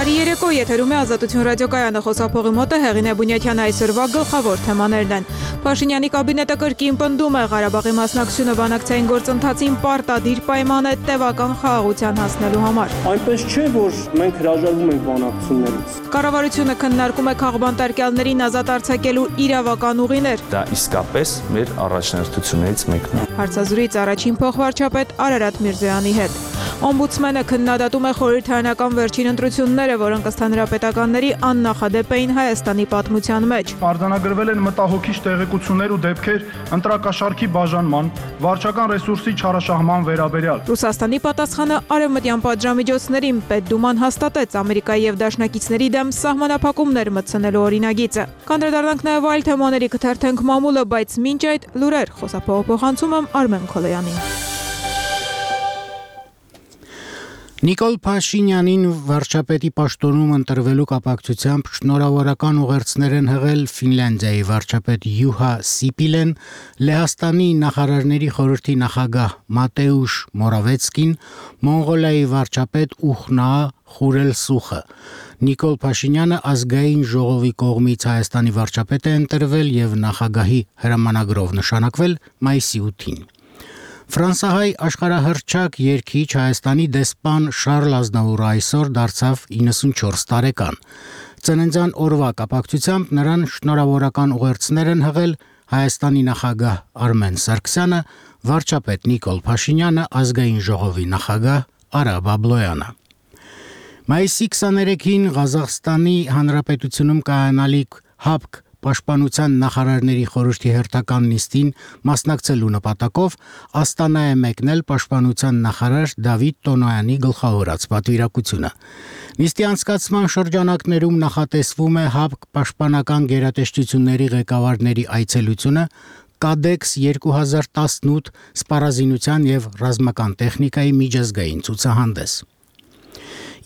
Բարի երեկո, եթերում է Ազատություն ռադիոկայանը, խոսափողի մոտ է Հեղինե Բունյաթյանը, այսօրվա գլխավոր թեմաներն են։ Փաշինյանի կաբինետը կրկին պնդում է Ղարաբաղի մասնակցությունը բանակցային գործընթացին պարտադիր պայման է տևական խաղաղության հասնելու համար։ Այնպես չէ, որ մենք հրաժարվում ենք բանակցություններից։ Կառավարությունը քննարկում է քաղբանտարկյալներին ազատ արձակելու իրավական ուղիներ։ Դա իսկապես մեր առաջնահերթություններից մեկն է։ Հարցազրույց առաջին փոխվարչապետ Արարատ Միրզոյանի հետ։ Օմբուդսմենը քննադատում է խորհրդարանական վերջին ընտրությունները, որոնք ըստ հանրապետականների աննախադեպ էին Հայաստանի պատմության մեջ։ Արձանագրվել են մտահոգիչ տեղեկություններ ու դեպքեր ընտրակաշառքի բաժանման, վարչական ռեսուրսի չարաշահման վերաբերյալ։ Ռուսաստանի պատասխանը արևմտյան պատժամիջոցներին Պետդուման հաստատեց Ամերիկայի եւ դաշնակիցների դեմ սահմանափակումներ մտցնելու օրինագիծը։ Կանդրադառնանք նաեւ այլ թեմաների, կթերթենք մամուլը, բայց մինչ այդ լուրեր, խոսափողը փոխանցում եմ Արմեն Քոլոյանին։ Նիկոլ Փաշինյանին վարչապետի պաշտոնում ընտրվելու կապակցությամբ շնորհավորական ուղերձներ են հղել Ֆինլանդիայի վարչապետ Յուհա Սիպիլեն, Լեհաստանի նախարարների խորհրդի նախագահ Մատեուշ Մորավեցկին, Մոնղոլիայի վարչապետ Ուխնա Խուրելսուխը։ Նիկոլ Փաշինյանը ազգային ժողովի կողմից Հայաստանի վարչապետ է ընտրվել եւ նախագահի հրամանագրով նշանակվել մայիսի 8-ին։ Ֆրանսահայ աշխարհահռչակ երգիչ Հայաստանի դեսպան Շարլ Ազնավուրը այսօր դարձավ 94 տարեկան։ Ծննդյան օրվա կապակցությամբ նրան շնորհավորական ուղերձներ են հղել Հայաստանի նախագահ Արմեն Սարգսյանը, վարչապետ Նիկոլ Փաշինյանը, ազգային ժողովի նախագահ Արա Բաբլոյանը։ Մայիսի 23-ին Ղազախստանի Հանրապետությունում կայանալիք ՀԱՊԿ Պաշտպանության նախարարների խորհրդի հերթական նիստին մասնակցելու նպատակով Աստանա է մեկնել Պաշտպանության նախարար Դավիթ Տոնոյանի գլխավորած պատվիրակությունը։ Նիստի անցկացման շրջանակներում նախատեսվում է ՀԱՊԿ պաշտպանական գերատեսչությունների ղեկավարների այցելությունը, Կադեքս 2018 սպառազինության եւ ռազմական տեխնիկայի միջազգային ցուցահանդես։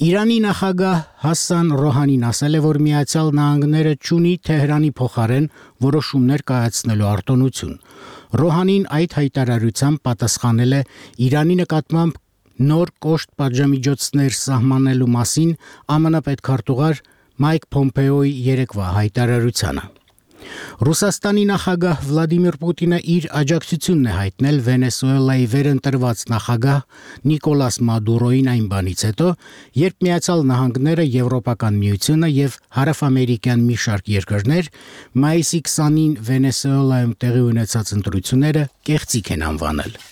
Իրանի նախագահ Հասան Ռոհանին ասել է, որ Միացյալ Նահանգները չունի Թեհրանի փոխարեն որոշումներ կայացնելու արտոնություն։ Ռոհանին այդ հայտարարությամբ պատասխանել է Իրանի նկատմամբ նոր կոշտ պատժամիջոցներ սահմանելու մասին ԱՄՆ պետքարտուղար Մայք Փոմպեոյի երեկվա հայտարարությանը։ Ռուսաստանի նախագահ Վլադիմիր Պուտինը իր աջակցությունն է հայտնել Վենեսուելայի վերընտրված նախագահ Նիկոլաս Մադուրոին այն բանից հետո, երբ Միացյալ Նահանգները, Եվրոպական միությունը եւ հարավամերիկյան մի շարք երկրներ մայիսի 20-ին Վենեսուելայում տեղի ունեցած ընտրությունները կեղծիք են անվանել։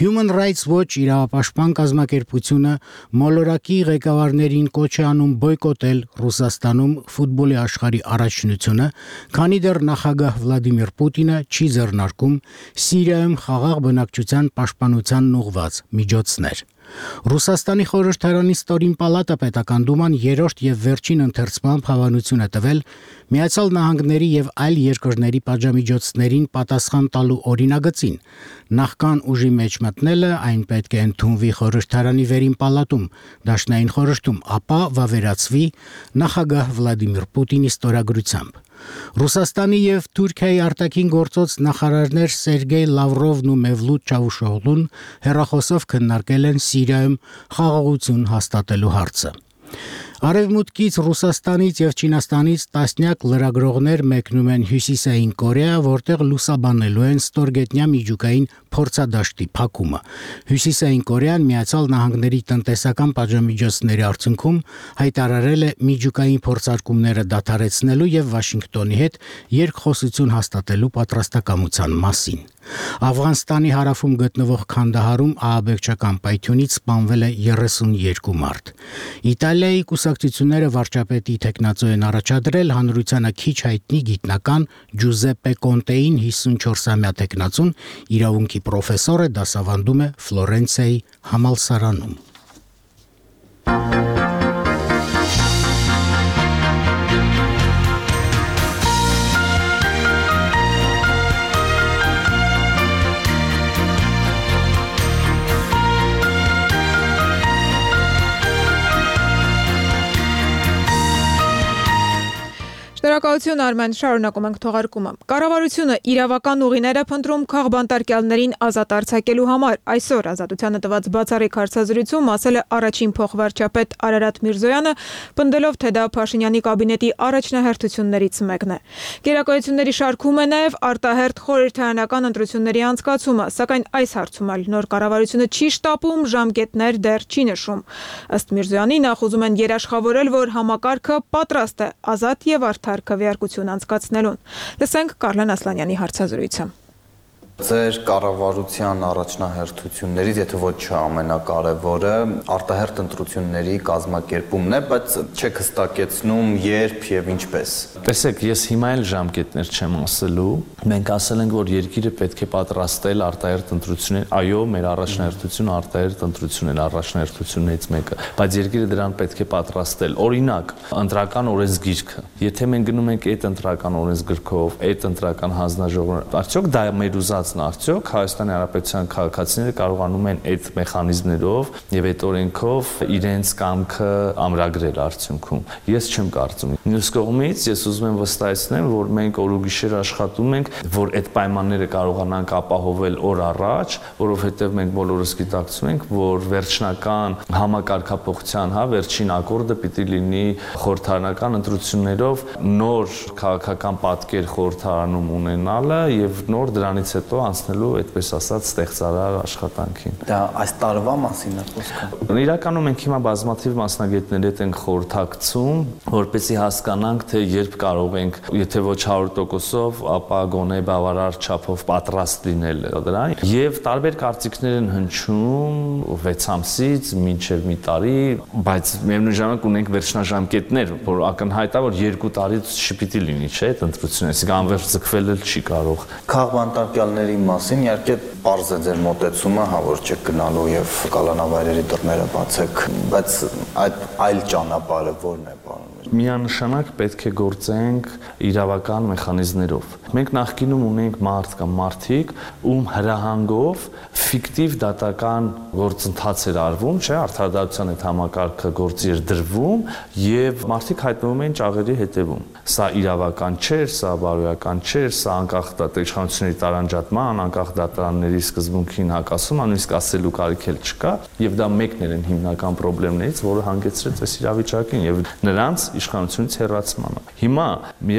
Human Rights Watch իրավապաշտպան կազմակերպությունը մոլորակի ղեկավարներին կոչ է անում բոյկոտել Ռուսաստանում ֆուտբոլի աշխարհի առաջնությունը, քանի դեռ նախագահ Վլադիմիր Պուտինը չի ձեռնարկում Սիրիայում խաղաղ բնակչության պաշտպանությանն ուղղված միջոցներ։ Ռուսաստանի խորհրդարանի ստորին պալատը պետական դուման երրորդ եւ վերջին ընթերցմամբ հավանություն է տվել Միացյալ Նահանգների եւ այլ երկրների պատժամիջոցներին պատասխան տալու օրինագծին։ Նախքան ուժի մեջ մտնելը այն պետք է ընդունվի խորհրդարանի վերին պալատում, դաշնային խորհրդում, ապա վավերացվի նախագահ Վլադիմիր Պուտինի ստորագրությամբ։ Ռուսաստանի եւ Թուրքիայի արտաքին գործոց նախարարներ Սերգեյ Լավրովն ու Մևլութ Չավուշօղլուն հեռախոսով քննարկել են Սիրիայում խաղաղություն հաստատելու հարցը։ Արևմուտքից Ռուսաստանից եւ Չինաստանից տասնյակ լրագրողներ մեկնում են Հյուսիսային Կորեա, որտեղ լուսաբանելու են ստորգետնյա միջուկային փորձադաշտի փակումը։ Հյուսիսային Կորեան Միացյալ Նահանգների տնտեսական պատժամիջոցների արդյունքում հայտարարել է միջուկային փորձարկումները դադարեցնելու եւ Վաշինգտոնի հետ երկխոսություն հաստատելու պատրաստակամության մասին։ Աֆղանստանի հարավում գտնվող Քանդահարում ահաբեկչական պայթյունից սպանվել է 32 մարդ։ Իտալիայի կուսակցությունները վարչապետի թեկնածու են առաջադրել հանրությանը քիչ հայտնի գիտնական Ջուզեպպե Կոնտեին 54-ամյա թեկնածուն իրավունքի պրոֆեսոր է, դասավանդում է Ֆլորենցիայի համալսարանում։ Շնորհակալություն Արմեն, շարունակում ենք թողարկումը։ Կառավարությունը իրավական ուղիներ է փնտրում քաղբանտարկյալներին ազատ արձակելու համար։ Այսօր Ազատությանը տված բացառիկ հարցազրույցում ասել է առաջին փոխվարչապետ Արարատ Միրզոյանը, պնդելով, թե դա Փաշինյանի կաբինետի առաջնահերթություններից մեկն է։ Գերակայությունների շարքում է նաև արտահերթ խորհրդարանական ընտրությունների անցկացումը, սակայն այս հարցում այլ նոր կառավարությունը չի շտապում, ժամկետներ դեռ չի նշում։ Ըստ Միրզոյանի նախ ուզում են երաշխավորել, որ համակարգը պատրաստ է ազատ եւ արդար քվեարկություն անցկացնելուն։ Լսենք Կարլեն Ասլանյանի հարցազրույցը։ Ձեր կառավարության առաջնահերթություններից, եթե ոչ ամենակարևորը, արտահերթ ընտրությունների կազմակերպումն է, բայց չեք հստակեցնում երբ եւ ինչպես։ Տեսեք, ես հիմա էլ ժամկետներ չեմ ասելու։ Մենք ասել ենք, որ երկիրը պետք է պատրաստել արտահերթ ընտրություններ։ Այո, մեր առաջնահերթությունը արտահերթ ընտրությունն է, առաջնահերթություններից մեկը, բայց երկիրը դրան պետք է պատրաստել։ Օրինակ, ընտրական օրենսգիրքը։ Եթե մենք գնում ենք այդ ընտրական օրենսգրքով, այդ ընտրական հանձնաժողովը, արդյոք դա մեր ուզած արդյոք Հայաստանի Հանրապետության քաղաքացիները կարողանում են այդ մեխանիզմներով եւ այդ օրենքով իրենց կամքը ամրագրել արդյունքում։ Ես չեմ կարծում։ Մյուս կողմից ես ուզում եմ վստահեցնել, որ մենք օր ու գիշեր աշխատում ենք, որ այդ պայմանները կարողանանք ապահովել օր առաջ, որովհետեւ մենք բոլորս գիտակցում ենք, որ վերջնական համակարգափոխության, վերջին ակորդը պիտի լինի խորհրդարանական ընտրություններով նոր քաղաքական պատկեր խորհրդարանում ունենալը եւ նոր դրանից հետո անցնելու, այդպես ասած, ստեղծարար աշխատանքին։ Դա այս տարվա մասին է խոսքը։ Իրականում մենք հիմա բազմաթիվ մասնագետների հետ ենք խորհրդակցում, որպեսզի հասկանանք, թե երբ կարող ենք, եթե ոչ 100%-ով, ապա գոնե բավարար չափով պատրաստ լինել դրան։ Եվ տարբեր կարծիքներ են հնչում 6 ամսից մինչև մի տարի, բայց միևնույն ժամանակ ունենք վերջնաժամկետներ, որ ակնհայտ է, որ 2 տարից չպիտի լինի, չէ՞, այդ ընտրությունը, այսինքն անվերջ ձգվել էլ չի կարող։ Քաղբանտարկյալների մասին իհարկե պարզ է ձեր մոտեցումը, որ չեք գնալու եւ կալանավայրերի դռները բացեք, բայց այդ այլ ճանապարհը ո՞րն է, պարոն։ Միանշանակ պետք է գործենք իրավական մեխանիզմներով։ Մենք նախկինում ունենք մարդիկ, ում հրահանգով ֆիկտիվ դատական գործընթաց էր արվում, չէ, արդարադատության այդ համակարգը գործի էր դրվում եւ մարդիկ հայտնվում էին ճաղերի հետևում։ Սա իրավական չէր, սա բարոյական չէր, սա անկախ իշխանությունների տարանջատման, անկախ դատարանների սկզբունքին հակասում, նույնիսկ ասելու կարիք էլ չկա, եւ դա մեկն էր հիմնական խնդիրներից, որը հանգեցրեց այս իրավիճակին եւ նրանց իշխանությունից հեռացմանը։ Հիմա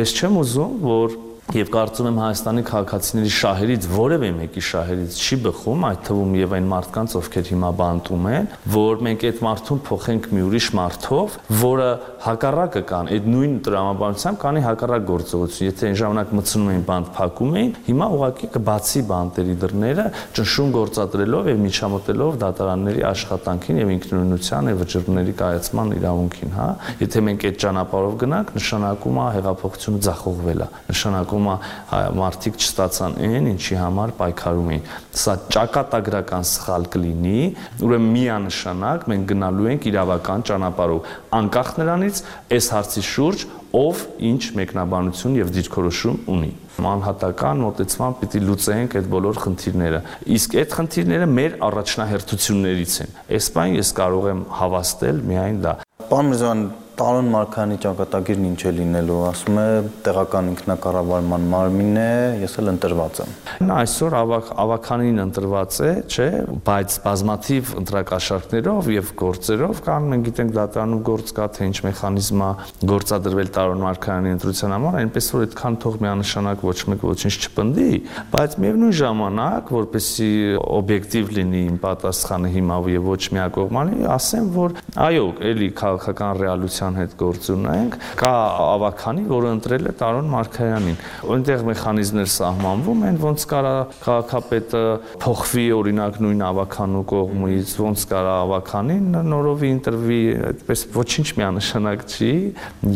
ես չեմ ուզում, որ Եվ կարծում եմ Հայաստանի քաղաքացիների շահերից որևէ մեկի շահերից չի բխում, այդ թվում եւ այն մարդկանց, ովքեր հիմա բանտում են, որ մենք այդ մարդուն փոխենք մի ուրիշ մարդով, որը հակառակը կան, այդ նույն տրամաբանությամբ կանի հակառակ գործողություն։ Եթե այն ժամանակ մտցնում էին բանտ փակում էին, հիմա ուղղակի կբացի բանտերի դռները, ճնշում գործադրելով եւ միջամտելով դատարանների աշխատանքին եւ ինքնուրույնության եւ վճռների կայացման իրավունքին, հա։ Եթե մենք այդ ճանապարհով գնանք, նշանակում է հեղափոխությունը ձախողվել է, նշանակում մարդիկ չստացան այն, ինչի համար պայքարում էին։ Սա ճակատագրական սխալ կլինի, ուրեմն միանշանակ մենք գնալու ենք իրավական ճանապարհով, անկախ նրանից այս հարցի շուրջ ով ինչ մեկնաբանություն եւ դիրքորոշում ունի։ Անհատական մոտեցման պիտի լուծենք այդ բոլոր խնդիրները։ Իսկ այդ խնդիրները մեր առաջնահերթություններից են։ Այս բան ես կարող եմ հավաստել միայն դա։ Պարոն Միրզոյան, Տարոն Մարգարյանի ճակատագիրն ինչ է լինելու, ասում է տեղական ինքնակառավարման մարմին է, ես էլ ընտրված եմ։ Նա այսօր ավականին ընտրված է, չէ, բայց բազմաթիվ ընտրակաշառքներով եւ գործերով կան, մենք գիտենք դատարանում գործ կա, թե ինչ մեխանիզմ է գործադրվել Տարոն Մարգարյանի ընտրության համար, այնպես որ այդքան թող միանշանակ ոչ մեկ ոչինչ չպնդի, բայց միևնույն ժամանակ, որպեսզի օբյեկտիվ լինի իմ պատասխանը հիմա եւ ոչ միակողմանի, ասեմ, որ այո, էլի քաղաքական ռեալության հետ գործ ունենք, կա ավականի, որը ընտրել է Տարոն Մարգարյանին։ Այնտեղ մեխանիզմներ սահմանվում են, ոնց կարա քաղաքապետը փոխվի օրինակ նույն ավականու կողմից, ոնց կարա ավականին նորովի ընտրվի, այդպես ոչինչ միանշանակ չի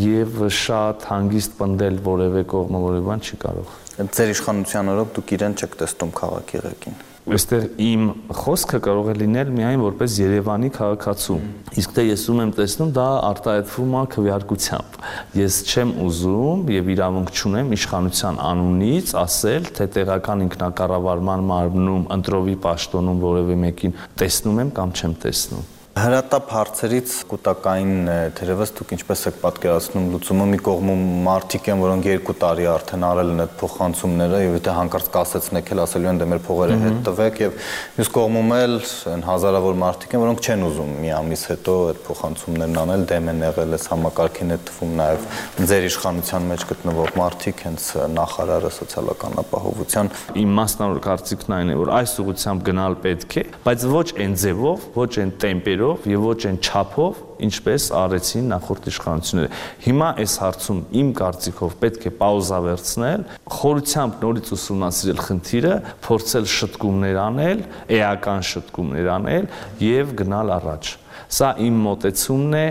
եւ շատ հանգիստ պնդել որևէ կողմը որևէ բան չի կարող։ Ձեր իշխանության օրոք դուք իրեն չեք տեսնում քաղաքի ղեկին։ Այստեղ իմ խոսքը կարող է լինել միայն որպես Երևանի քաղաքացու։ Իսկ թե ես ում եմ տեսնում, դա արտահայտվում է քվեարկությամբ։ Ես չեմ ուզում եւ իրավունք չունեմ իշխանության անունից ասել, թե տեղական ինքնակառավարման մարմնում ընտրովի պաշտոնում որևէ մեկին տեսնում եմ կամ չեմ տեսնում։ Հրատապ հարցերից կուտակային թերևս դուք ինչպես եք պատկերացնում լուծումը մի կողմում մարդիկ են, որոնք 2 տարի արդեն արել են այդ փոխանցումները եւ եթե հանկարծ կասեցնեք էլ ասելու են դե մեր փողերը հետ տվեք եւ մյուս կողմում էլ այն հազարավոր մարդիկ են, որոնք չեն ուզում մի ամիս հետո այդ փոխանցումներն անել, դեմ են եղել այս համակարգին է թվում նաեւ ձեր իշխանության մեջ գտնվող մարդիկ, հենց նախարարը սոցիալական ապահովության։ Իմ մասնավոր կարծիքն այն է, որ այս ուղղությամբ գնալ պետք է, բայց ոչ այն ձևով, ոչ այն տեմպերով եւ ոչ այն չափով, ինչպես արեցին նախորդ իշխանությունները։ Հիմա այս հարցում իմ կարծիքով պետք է պաուզա վերցնել, խորությամբ նորից ուսումնասիրել խնդիրը, փորձել շտկումներ անել, էական շտկումներ անել եւ գնալ առաջ։ Սա իմ մոտեցումն է,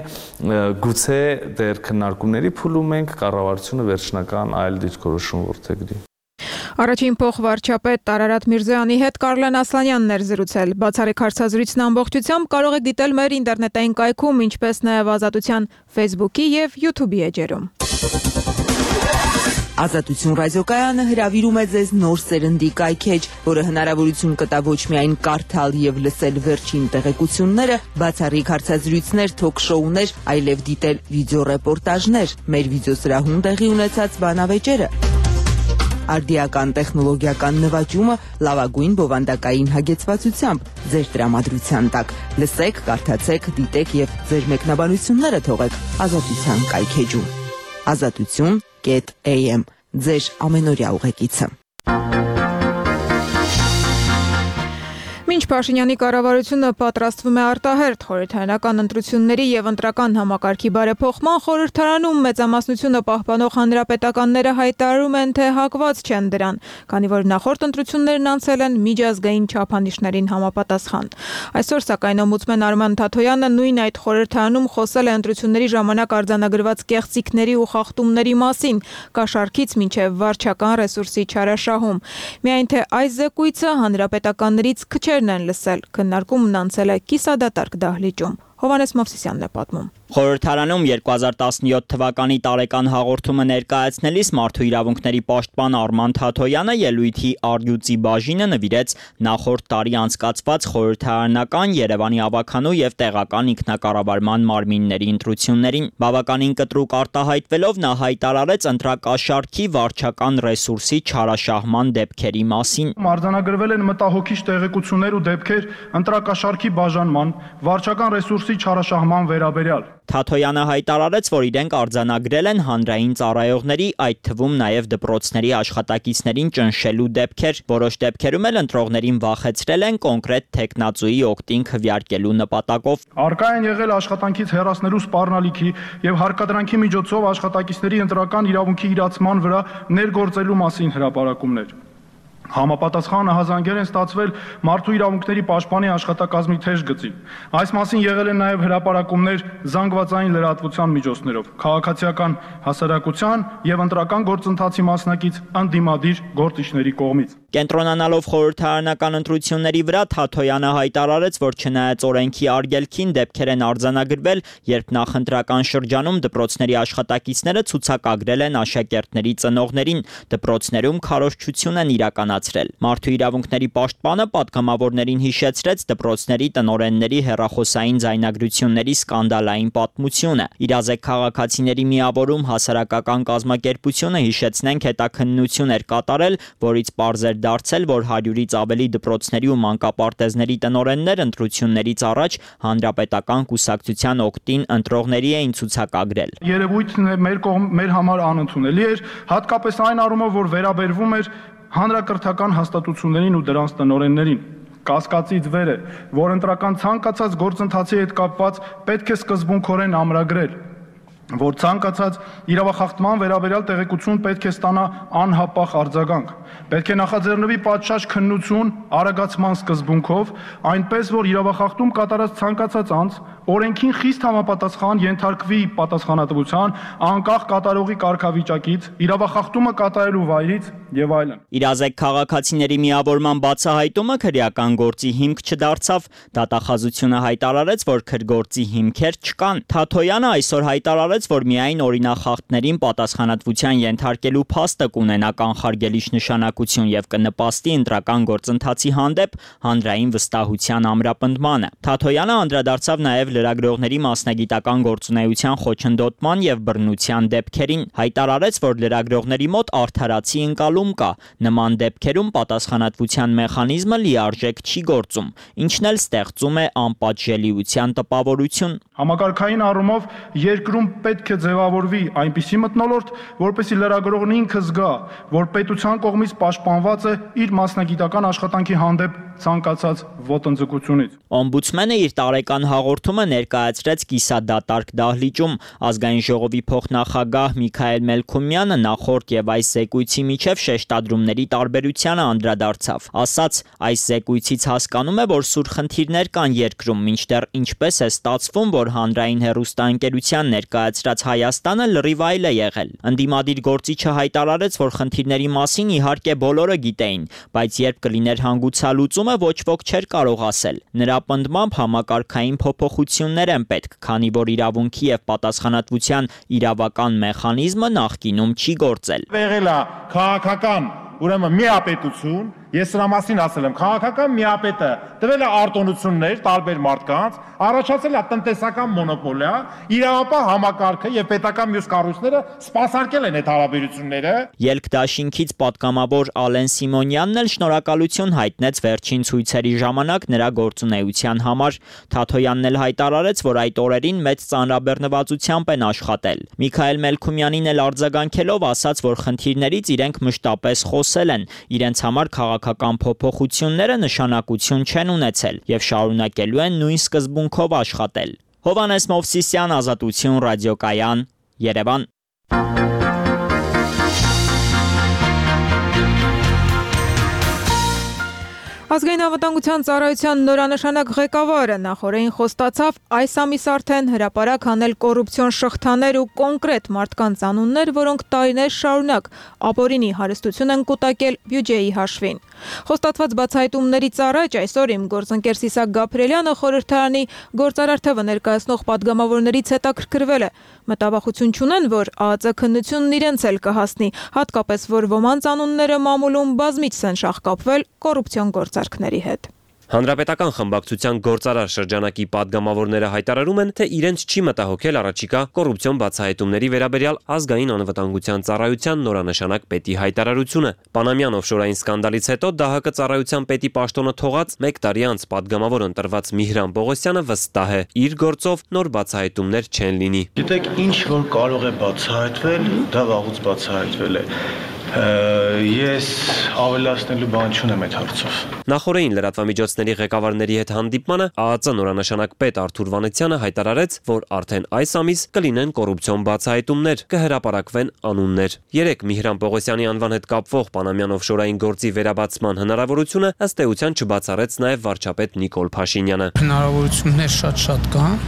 գուցե դեռ քննարկումների փուլում ենք, կառավարությունը վերջնական այլ դիրքորոշում որդեգրի։ Առաջին փոխվարչապետ Տարարատ Միրզոյանի հետ Կարլեն Ասլանյանն էր զրուցել։ Բացառիկ հարցազրույցն ամբողջությամբ կարող եք դիտել մեր ինտերնետային կայքում, ինչպես նաև Ազատության Facebook-ի եւ YouTube-ի էջերում։ Ազատություն ռադիոկայանը հրավիրում է ձեզ նոր սերնդի կայքեջ, որը հնարավորություն կտա ոչ միայն կարդալ եւ լսել վերջին տեղեկությունները, բացառիկ հարցազրույցներ, թոք-շոուներ, այլև դիտել վիդեոռեպորտաժներ, մեր վիդեոսրահում տեղի ունեցած բանավեճերը։ Արդիական տեխնոլոգիական նվաճումը լավագույն բովանդակային հագեցվածությամբ ձեր տրամադրության տակ։ Լսեք, կարդացեք, դիտեք եւ ձեր մեկնաբանությունները թողեք Ազատության կայքեջում։ Ազատություն.am ձեր ամենօրյա ուղեկիցը։ Մինչ Փաշինյանի կառավարությունը պատրաստվում է արտահերթ խորհրդարանական ընտրությունների եւ ընտրական համակարգի բարեփոխման, խորհրդարանում մեծամասնությունը պահպանող հանրապետականները հայտարարում են, թե հակված չեն դրան, քանի որ նախորդ ընտրություններն անցել են միջազգային չափանիշներին համապատասխան։ Այսօր սակայն օմբուդսմեն Արման Թաթոյանը նույն այդ խորհրդարանում խոսել է ընտրությունների ժամանակ արձանագրված կեղծիքների ու խախտումների մասին, կաշառքից մինչև վարչական ռեսուրսի չարաշահում։ Միայն թե այս զեկույցը հանրապետականներից քչերն են լսել, քննարկումն անցել է կիսադատարկ դահլիճում։ Հովհաննես Մովսիսյանն է պատմում։ Խորհրդարանում 2017 թվականի տարեկան հաղորդումը ներկայացնելիս Մարդու իրավունքների պաշտպան Արման Թաթոյանը ելույթի առյուծի բաժինը նվիրեց նախորդ տարի անցկացված խորհրդարանական, Երևանի ավագանու եւ տեղական ինքնակառավարման մարմինների ընտրություններին։ Բավականին կտրուկ արտահայտվելով նա հայտարարեց ընտրակաշառքի վարչական ռեսուրսի չարաշահման դեպքերի մասին։ Արձանագրվել են մտահոգիչ տեղեկություններ ու դեպքեր ընտրակաշառքի բաժանման, վարչական ռեսուրսի չարաշահման վերաբերյալ։ Թաթոյանը հայտարարեց, որ իրենք արձանագրել են հանրային ծառայողների, այդ թվում նաև դպրոցների աշխատակիցներին ճնշելու դեպքեր, որոշ դեպքերում էլ ընտրողներին վախեցրել են կոնկրետ թեկնածուի օգտին քվեարկելու նպատակով։ Արկա են եղել աշխատանքից հեռացնելու սպառնալիքի եւ հարկադրանքի միջոցով աշխատակիցների ընտրական իրավունքի իրացման վրա ներգործելու մասին հրապարակումներ։ Համապատասխան ահազանգեր են ստացվել Մարդու իրավունքների պաշտպանի աշխատակազմի թեժ գծին։ Այս մասին եղել են նաև հրապարակումներ զանգվածային լրատվության միջոցներով, քաղաքացիական հասարակության եւ ընտրական գործընթացի մասնակից ընդդիմադիր գործիչների կողմից։ Կենտրոնանալով խորհրդարանական ընտրությունների վրա Թաթոյանը հայտարարեց, որ չնայած օրենքի արգելքին դեպքեր են արձանագրվել, երբ նախընտրական շրջանում դպրոցների աշխատակիցները ցուցակագրել են աշակերտների ծնողներին, դպրոցներում քարոզչություն են իրականացրել։ Մարդու իրավունքների պաշտպանը պատգամավորներին հիշեցրեց դպրոցների տնօրենների հեռախոսային ձայնագրությունների սկանդալային պատմությունը։ Իրազեկ քաղաքացիների միավորում հասարակական կազմակերպությունը, հիշեցնենք, հետաքննություն էր կատարել, որից պարզ էր դարձել, որ 100-ից ավելի դպրոցների ու մանկապարտեզների տնօրեններ ընտրություններից առաջ հանրապետական կուսակցության օգտին ընտրողների էին ցուցակագրել։ Երևույթն մեր համար անընդունելի էր, հատկապես այն առումով, որ վերաբերվում էր հանրակրթական հաստատություններին ու դրանց տնօրեններին։ Կասկածից վեր է, որ ընտրական ցանկացած գործընթացի հետ կապված պետք է սկզբունքորեն ամրագրել, որ ցանկացած իրավախախտման վերաբերյալ տեղեկություն պետք է ստանա անհապաղ արձագանք։ Պետք է նախաձեռնվի պատշաճ քննություն արագացման սկզբունքով, այնպես որ իրավախախտում կատարած ցանկացած անձ օրենքին խիստ համապատասխան ենթարկվի պատասխանատվության, անկախ կատարողի կարգավիճակից, իրավախախտումը կատարելու վայրից եւ այլն։ Իրազեկ քաղաքացիների միավորման բացահայտումը քրեական գործի հիմք չդարձավ, դատախազությունը հայտարարեց, որ քրգործի հիմքեր չկան։ Թաթոյանը այսօր հայտարարեց, որ միայն օրինախախտներին պատասխանատվության ենթարկելու փաստը կունենա կանխարգելիչ նշանակություն եւ կնպաստի ընտրական գործընթացի հանդեպ հանրային վստահության ամրապնդմանը։ Թաթոյանը անդրադարձավ նաեւ լրագրողների մասնագիտական գործունեության խոչընդոտման եւ բռնության դեպքերին, հայտարարեց, որ լրագրողների մոտ արդարացի ընկալում կա, նման դեպքերում պատասխանատվության մեխանիզմը լիարժեք չի գործում, ինչն էլ ստեղծում է անպատժելիության տպավորություն։ Համակարգային առումով երկրում պետք է ձևավորվի այնպիսի մթնոլորտ, որպեսզի լրագրողն ինքը զգա, որ պետության կողմից պաշտպանված է իր մասնագիտական աշխատանքի հանդեպ ցանկացած ոտնձգությունից։ Օմբուդսմենը իր տարեկան հաղորդումը ներկայացրեց կիսադատարկ դահլիճում։ Ազգային ժողովի փոխնախագահ Միքայել Մելքումյանը նախորդ եւ այս զեկույցի միջև շեշտադրումների տարբերությանը անդրադարձավ։ Ասաց, այս զեկույցից հասկանում է, որ սուր խնդիրներ կան երկրում, մինչդեռ ինչպես է ստացվում, որ հանրային հեռուստաընկերության ներկայացրած Հայաստանը լրիվ այլ է եղել։ Ընդդիմադիր գործիչը հայտարարեց, որ խնդիրների մասին իհարկե բոլորը գիտեին, բայց երբ կլիներ հանգուցալուծումը, ոչ ոք չէր կարող ասել։ Նրա պնդմամբ համակարգային փոփոխություններ են պետք, քանի որ իրավունքի եւ պատասխանատվության իրավական մեխանիզմը նախկինում չի գործել։ Եղել է քաղաքական, ուրեմն միապետություն, ես սրա մասին ասել եմ, քաղաքական միապետը տվել է արտոնություններ տարբեր մարդկանց, առաջացել է տնտեսական մոնոպոլիա, իրավապահ համակարգը եւ պետական մյուս կառույցները սպասարկել են այդ հարաբերությունները։ Ելք դաշինքից պատգամավոր Ալեն Սիմոնյանն էլ շնորհակալություն հայտնեց վերջին ցույցերի ժամանակ նրա գործունեության համար։ Թաթոյանն էլ հայտարարեց, որ այդ օրերին մեծ ծանրաբեռնվածությամբ են աշխատել։ Միքայել Մելքումյանին էլ արձագանքելով ասաց, որ խնդիրներից իրենք մշտապես խոսել են, իրենց համար քաղաքական փոփոխությունները նշանակություն չեն ունեցել եւ շարունակելու են նույն սկզբունքով աշխատել։ Հովանես Մովսիսյան, Ազատություն ռադիոկայան, Երևան։ Ազգային անվտանգության ծառայության նորանշանակ ղեկավարը նախորդին խոստացավ այս ամիս արդեն հրապարակ հանել կոռուպցիոն շղթաներ ու կոնկրետ մարդկանց անուններ, որոնք տարիներ շարունակ ապօրինի հարստություն են կուտակել բյուջեի հաշվին։ Խոստացված բացահայտումներից առաջ այսօր իմ գործընկեր Սիսակ Գաբրելյանը խորհրդարանի գործարար թվը ներկայացնող պատգամավորներից հետաքրքրվել է։ Մտավախություն չունեն, որ ԱԱԾ քննությունն իրենց էլ կհասնի, հատկապես որ ոմանց անունները մամուլում բազմիցս են շահկապվել կոռուպցիոն գործարքների հետ։ Հանրապետական խմբակցության գործարար շրջանակի падգամավորները հայտարարում են, թե իրենց չի մտահոգել առաջիկա կոռուպցիոն բացահայտումների վերաբերյալ ազգային անվտանգության ծառայության նորանշանակ պետի հայտարարությունը։ Պանամյան օֆշորային սկանդալից հետո ԴՀԿ ծառայության պետի պաշտոնը թողած 1 տարի անց падգամավոր ընտրված Միհրան Պողոսյանը վստահ է, իր գործով նոր բացահայտումներ չեն լինի։ Գիտեք, ինչ որ կարող է բացահայտվել, դա վաղուց բացահայտվել է։ Ես ավելացնելու բան չունեմ այդ հարցով։ Նախորդին լրատվամիջոցների ղեկավարների հետ հանդիպմանը ԱԱԾ նորանշանակ պետ Արթուր Վանեցյանը հայտարարեց, որ արդեն այս ամիս կլինեն կոռուպցիոն բացահայտումներ, կհրապարակվեն անուններ։ Երեք Միհրան Պողոսյանի անվան հետ կապվող Պանամյան օֆշորային գործի վերաբացման հնարավորությունը ըստ էության չբացառեց նաև վարչապետ Նիկոլ Փաշինյանը։ Հնարավորություններ շատ կան։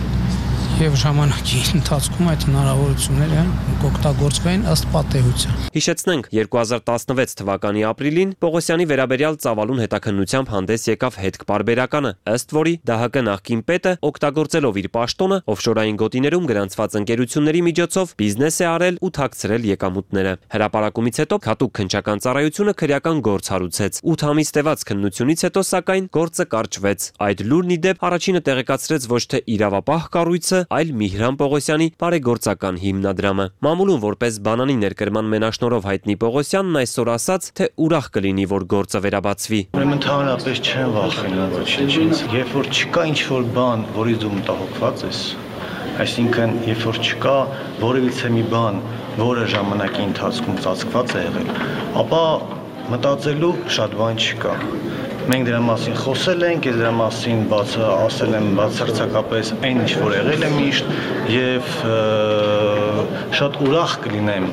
Եվ ժամանակի ընթացքում այդ հնարավորությունները կօգտագործվեն ըստ պատեհության։ Հիշեցնենք, 2016 թվականի ապրիլին Պողոսյանի վերաբերյալ ծավալուն հետաքննությամբ հանդես եկավ հետք-պարբերականը, ըստ որի ԴՀԿ նախկին պետը օգտագործելով իր պաշտոնը օֆշորային գոտիներում գրանցված ընկերությունների միջոցով բիզնես է արել ու թաքցրել եկամուտները։ Հրապարակումից հետո Քատուկ քննչական ծառայությունը քրեական գործ հարուցեց։ 8 ամիս տևած քննությունից հետո սակայն գործը կարճվեց։ Այդ լուրն ի դեպ առաջինը տեղեկացրեց ոչ թե իրավապահ կառույցը, այլ Միհրան Պողոսյանի բարեգործական հիմնադրամը։ Մամուլում որպես բանանի ներկրման մենաշնորհով հայտնի Պողոսյանն այսօր ասաց, թե ուրախ կլինի, որ գործը վերաբացվի։ Ուրեմն ընդհանրապես չեն վախենում ոչինչից։ Երբ որ չկա ինչ-որ բան, որից դու մտահոգված ես, այսինքն երբ որ չկա որևիցե մի բան, որը ժամանակի ընթացքում ծածկված է եղել, ապա մտածելու շատ բան չկա։ Մենք դրա մասին խոսել ենք, դրա մասին ասել եմ բացարձակապես այն ինչ որ եղել է միշտ եւ շատ ուրախ կլինեմ,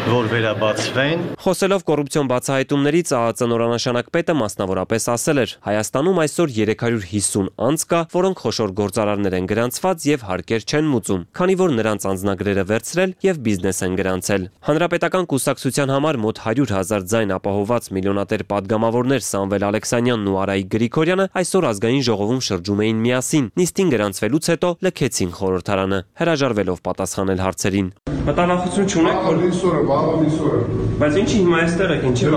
որ վերաբացվեն։ Խոսելով կոռուպցիոն բացահայտումներից ԱԱԾ նորանշանակ պետը մասնավորապես ասել էր. Հայաստանում այսօր 350 անձ կա, որոնք խոշոր գործարարներ են գրանցված եւ հարկեր չեն մուծում, քանի որ նրանց անձնագրերը վերցրել եւ բիզնես են գրանցել։ Հանրապետական կուսակցության համար մոտ 100,000 ձայն ապահովված միլիոնատեր падգամավորներ Սամվել Ալեքսանյանն ու Արայիկ Գրիգորյանը այսօր ազգային ժողովում շրջում էին միասին։ Նիստին գրանցվելուց հետո լքեցին խորհրդարանը, հրաժարվելով պատասխանել հարցերին։ Մտահոգություն չունեք, բայց ինչի հիմա այստեղ եք, ինչի՞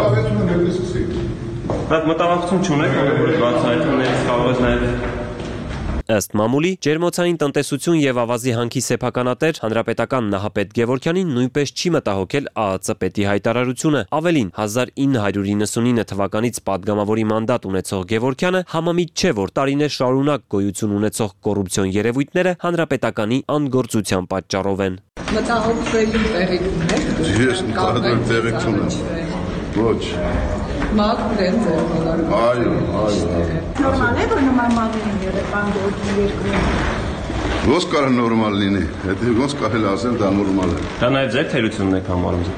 բայց մտահոգություն չունեք, որ բացահայտումներից կարող է նաև Ըստ մամուլի, ջերմոցային տնտեսություն եւ ավազի հանքի սեփականատեր հանրապետական Նահապետ Գևորգյանին նույնպես չի մտահոգել ԱԱԾ պետի հայտարարությունը։ Ավելին, 1999 թվականից падգամավորի մանդատ ունեցող Գևորգյանը համամիտ չէ, որ տարիներ շարունակ գոյություն ունեցող կոռուպցիոն երևույթները հանրապետականի անգործության պատճառով են։ Մտահոգվելու տեղիք ունեք։ Ես մտահոգվել տեղիք չունեմ։ Ոչ։ Մաքրեն ձեր բոլոր։ Այո։ Նորմալ է, որ նման մատին երեխան գործի երկրում։ Ոնց կարող նորմալ լինի։ Եթե ոնց կարելի ասել դա նորմալ է։ Դա նաև ձեր թերությունն եք համարում։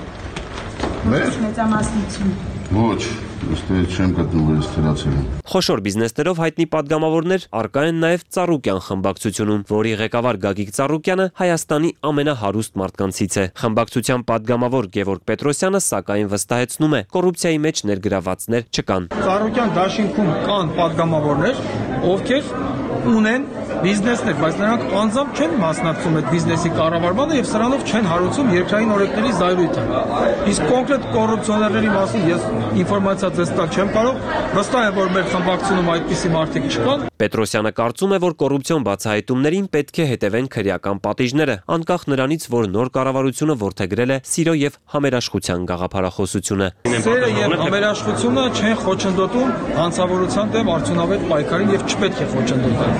Մեր մեծամասնություն։ Ոչ, ոստի չեմ գտնում որ ստերացել։ Խոշոր բիզնեսներով հայտնի падգամավորներ արկա են նաև Ծառուկյան խմբակցությունում, որի ղեկավար Գագիկ Ծառուկյանը Հայաստանի ամենահարուստ մարդկանցից է։ Խմբակցության падգամավոր Գևորգ Պետրոսյանը սակայն վստահեցնում է, կոռուպցիայի մեջ ներգրավվածներ չկան։ Ծառուկյան դաշինքում կան падգամավորներ, ովքեր ունեն բիզնեսներ, բայց նրանք անձամբ չեն մասնակցում այդ բիզնեսի կառավարմանը եւ սրանով չեն հարուցում երկրային օրենքների զայրույթը։ Իսկ կոնկրետ կոռուպցիոներների մասին ես ինֆորմացիա ձեզ տալ չեմ կարող, վստահ եմ, որ մեր խմբակցությունում այդպիսի մարդիկ չկան։ Պետրոսյանը կարծում է, որ կոռուպցիոն բացահայտումներին պետք է հետևեն քրեական պատիժները, անկախ նրանից, որ նոր կառավարությունը որդեգրել է սիրո եւ համերաշխության գաղափարախոսությունը։ Սերը եւ համերաշխությունը չեն խոչընդոտում հանցավորության դեմ արդյունավետ պայքարին եւ չպետք է խոչընդոտեն։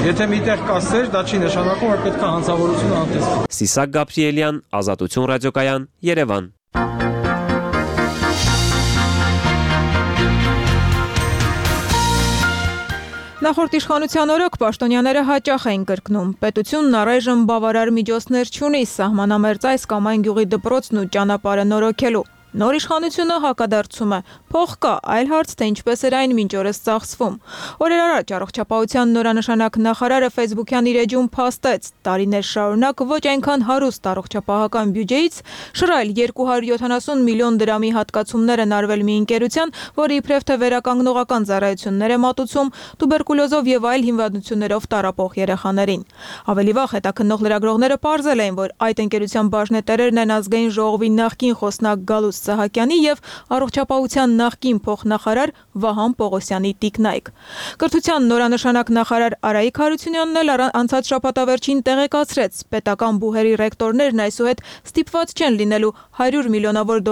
Եթե միտեղ կա սեր, դա չի նշանակում, որ պետք է հանցավորությունը անտեսվի։ Սիսակ Գաբրիելյան, Ազատություն ռադիոկայան, Երևան։ Նախորդ իշխանության օրոք պաշտոնյաները հաճախ էին կրկնում. պետությունն առայժմ բավարար միջոցներ չունի սահմանամերձ այս կամ այն գյուղի դպրոցն ու ճանապարհը նորոգելու։ Նոր իշխանությունը հակադարձում է. փող կա, այլ հարց թե ինչպես էր այն մինչ օրս ծախսվում։ Օրեր առաջ առողջապահության նորանշանակ նախարարը Facebook-յան իր էջում փաստեց. տարիներ շարունակ ոչ այնքան հարուստ առողջապահական բյուջեից շռայլ 270 միլիոն դրամի հատկացումներ են արվել մի ընկերության, որը իբրև թե վերականգնողական ծառայություններ է մատուցում տուբերկուլոզով եւ այլ հիմնադրություններով տառապող երեխաներին։ Ավելի վաղ հետաքննող լրագրողները պարզել էին, որ այդ ընկերության բաժնետերերն են ազգային ժողովի նախկին խոսնակ Գալուս Սահակյանի եւ առողջապահության նախկին փոխնախարար Վահան Պողոսյանի տիկնայք։ Կրթության նորանշանակ նախարար Արայիկ Հարությունյանն էլ անցած շաբաթավերջին տեղեկացրեց. պետական բուհերի ռեկտորներն այսուհետ ստիպված չեն լինելու 100 միլիոնավոր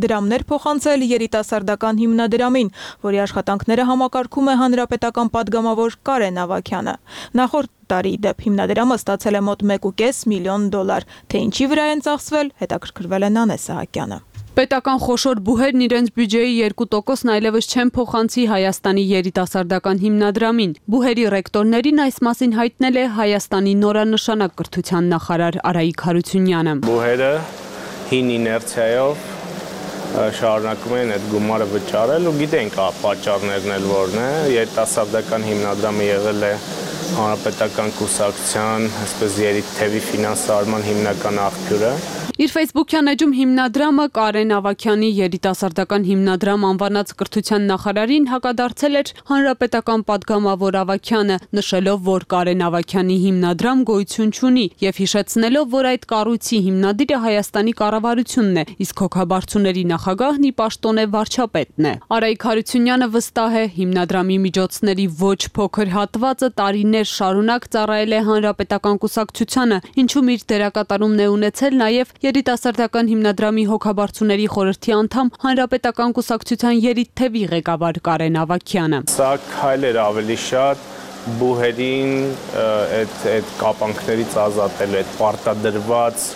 դրամներ փոխանցել երիտասարդական հիմնադրամին, որի աշխատանքները համակարգում է հանրապետական падգամավոր Կարեն Ավագյանը։ Նախորդ տարի դեպ հիմնադրամը ստացել է մոտ 1.5 միլիոն դոլար, թե ինչի վրա են ծախսվել, հետաքրքրվել է Նանե Սահակյանը։ Պետական խոշոր բուհերն իրենց բյուջեի 2%-ն այլևս չեն փոխանցի Հայաստանի երիտասարդական հիմնադրամին։ Բուհերի ռեկտորներին այս մասին հայտնել է Հայաստանի նորանշանակ կրթության նախարար Արայիկ Հարությունյանը։ Բուհերը հին իներցիայով շարունակում են այդ գումարը վճարել ու գիտենք պատճառներն էլ որն է։ Երիտասարդական հիմնադրամը եղել է հանրապետական կուսակցության, այսպես երիտթևի ֆինանսավորման հիմնական աղբյուրը։ Իր Facebook-յան էջում հիմնադրամը Կարեն Ավագյանի երիտասարդական հիմնադրամ անվանած կրթության նախարարին հակադարձել էր հանրապետական падգամավոր Ավագյանը, նշելով, որ Կարեն Ավագյանի հիմնադրամ գոյություն չունի եւ հիշեցնելով, որ այդ կառույցի հիմնադիրը Հայաստանի կառավարությունն է, իսկ հոգաբարձուների նախագահն ի պաշտոն է վարչապետն է։ Արայիկ Հարությունյանը վստահ է, հիմնադրամի միջոցների ոչ փոքր հատվածը տարիներ շարունակ ծառայել է հանրապետական կուսակցությանը, ինչում իր դերակատարումն է ունեցել նաեւ երիտասարդական հիմնադրամի հոգաբարձուների խորհրդի անդամ հանրապետական կուսակցության երիտթևի ղեկավար Կարեն Ավագյանը։ Սա քայլեր ավելի շատ բուհերին այդ կապանքներից ազատելու, այդ պարտադրված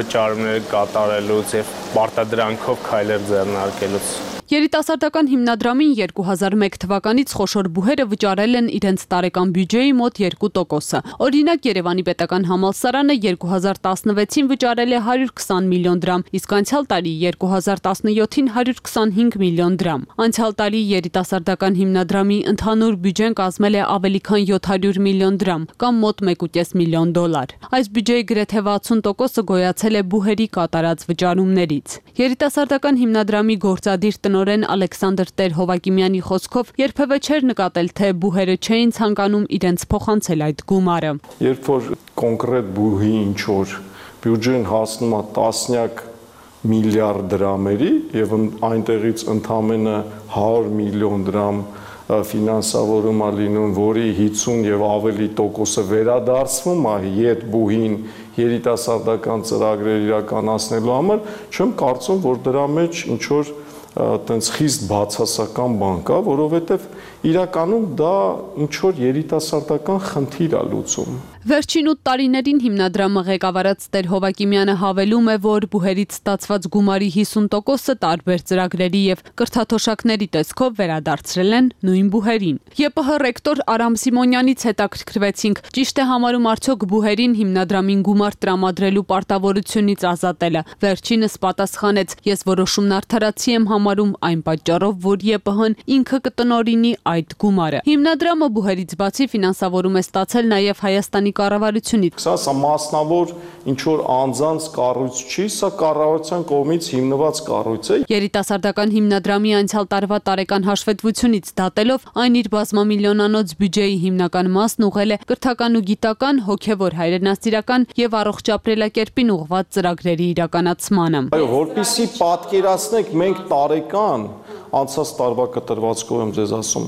վճարումները կատարելուց եւ պարտադրանքով քայլեր ձեռնարկելուց։ Երիտասարդական հիմնադրամին 2001 թվականից խոշոր բուհերը վճարել են իրենց տարեկան բյուջեի մոտ 2%. Օրինակ Երևանի պետական համալսարանը 2016-ին վճարել է 120 միլիոն դրամ, իսկ անցյալ տարի 2017-ին 125 միլիոն դրամ։ Անցյալ տարի երիտասարդական հիմնադրամի ընդհանուր բյուջեն կազմել է ավելի քան 700 միլիոն դրամ, կամ մոտ 1.5 միլիոն դոլար։ Այս բյուջեի գրեթե 60%-ը գոյացել է բուհերի կատարած վճարումներից։ Երիտասարդական հիմնադրամի գործադիր տնօրեն Ալեքսանդր Տեր-Հովակիմյանի խոսքով երբևէ չէր նկատել, թե բուհերը չէին ցանկանում իրենց փոխանցել այդ գումարը։ Երբ որ կոնկրետ բուհի ինչ-որ բյուջեն հասնում է տասնյակ միլիարդ դրամերի եւ այնտեղից ընդամենը 100 միլիոն դրամ ֆինանսավորում է լինում, որի 50 եւ ավելի տոկոսը վերադարձվում է յետ բուհին երիտասարդական ծրագրեր իրականացնելու համար, չեմ կարծում, որ դրա մեջ ինչ որ տենց խիստ բացասական բան կա, որովհետև իրականում դա ինչ որ երիտասարդական խնդիր է լուծում։ Վերջին 8 տարիներին հիմնադրամը ղեկավարած Տեր Հովակիմյանը հավելում է, որ բուհերից ստացված գումարի 50%-ը տարբեր ծրագրերի եւ կրթաթոշակների տեսքով վերադարձրել են նույն բուհերին։ ԵՊՀ ռեկտոր Արամ Սիմոնյանից հետաքրքրվեցինք, ճիշտ է համարում արդյոք բուհերին հիմնադրամին գումար տրամադրելու պարտավորությունից ազատելը։ Վերջինս պատասխանեց. «Ես որոշումն արդարացի եմ համարում այն պատճառով, որ ԵՊՀ-ն ինքը կտնօրինի այդ գումարը»։ Հիմնադրամը բուհերից բացի ֆինանսավորում է ստացել նաեւ Հայաստանի կառավարությունից։ Սա մասնավոր ինչ որ անձանց կառույց չի, սա կառավարության կողմից հիմնված կառույց է։ Երիտասարդական հիմնադրամի անցյալ տարվա տարեկան հաշվետվությունից դատելով այն իր բազմամիլիոնանոց բյուջեի հիմնական մասն ուղղել է կրթական ու գիտական, հոգևոր հայրենասիրական եւ առողջ ապրելակերպին ուղղված ծրագրերի իրականացմանը։ Այո, որպեսզի պատկերացնեք, մենք տարեկան անցած տարվա կտրվածքով եմ ձեզ ասում,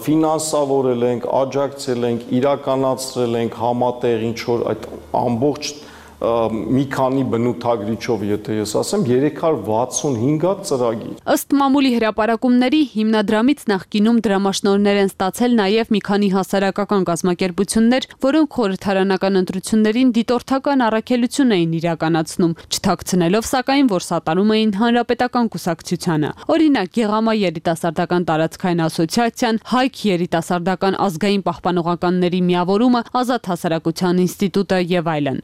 ֆինանսավորել ենք, աջակցել ենք, իրականացրել ենք համատեղ ինչ որ այդ ամբողջ մի քանի բնութագրիչով, եթե ես ասեմ, 365 հատ ծրագիր։ Ըստ մամուլի հրապարակումների հիմնադրամից նախկինում դրամաշնորհներ են ստացել նաև մի քանի հասարակական կազմակերպություններ, որոնք խորհրդարանական ընտրություններին դիտորդական առաքելություն էին իրականացնում, չթաքցնելով սակայն, որ սատարում էին հանրապետական կուսակցությանը։ Օրինակ, Գեղամա երիտասարդական տարածքային ասոցիացիան, Հայք երիտասարդական ազգային պահպանողականների միավորումը, Ազատ հասարակության ինստիտուտը եւ այլն։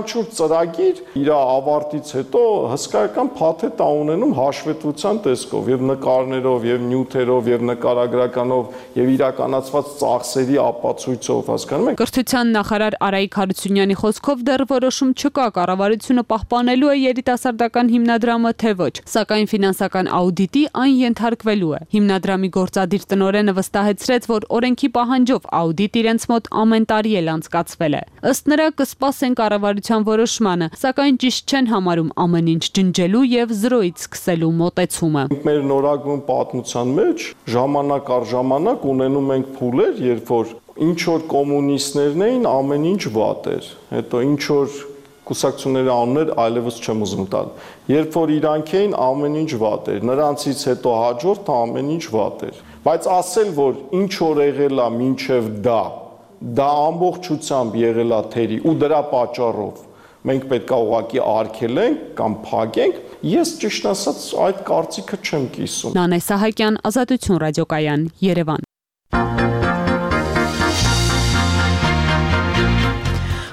Յուրաքանչյուր ծրագիր իր ավարտից հետո հսկայական փաթեթ է ունենում հաշվետվության տեսքով եւ նկարներով եւ նյութերով եւ նկարագրականով եւ իրականացված ծախսերի ապացույցով, հասկանում եք։ Կրթության նախարար Արայիկ Հարությունյանի խոսքով դեռ որոշում չկա, կառավարությունը պահպանելու է երիտասարդական հիմնադրամը թե ոչ, սակայն ֆինանսական աուդիտի այն ենթարկվելու է։ Հիմնադրամի գործադիր տնօրենը վստահեցրեց, որ օրենքի պահանջով աուդիտ իրենց մոտ ամեն տարի էլ անցկացվել է։ Ըստ նրա կսպասեն կառավարության որոշմանը, սակայն ճիշտ չեն համարում ամեն ինչ ջնջելու եւ զրոյից սկսելու մոտեցումը։ Մեր նորագույն պատմության մեջ ժամանակ առ ժամանակ ունենում ենք փուլեր, երբ որ ինչ որ կոմունիստներն էին, ամեն ինչ վատ էր, հետո ինչ որ կուսակցությունների անուններ այլևս չեմ ուզում տալ։ Երբ որ իրանք էին, ամեն ինչ վատ էր, նրանցից հետո հաջորդը ամեն ինչ վատ էր։ Բայց ասել, որ ինչ որ եղել է մինչև դա ամբողջությամբ եղել է թերի ու դրա պատճառով մենք պետք է ուղղակի արգելենք կամ փակենք, ես ճիշտ ասած այդ կարծիքը չեմ կիսում։ Նանե Սահակյան, Ազատություն ռադիոկայան, Երևան։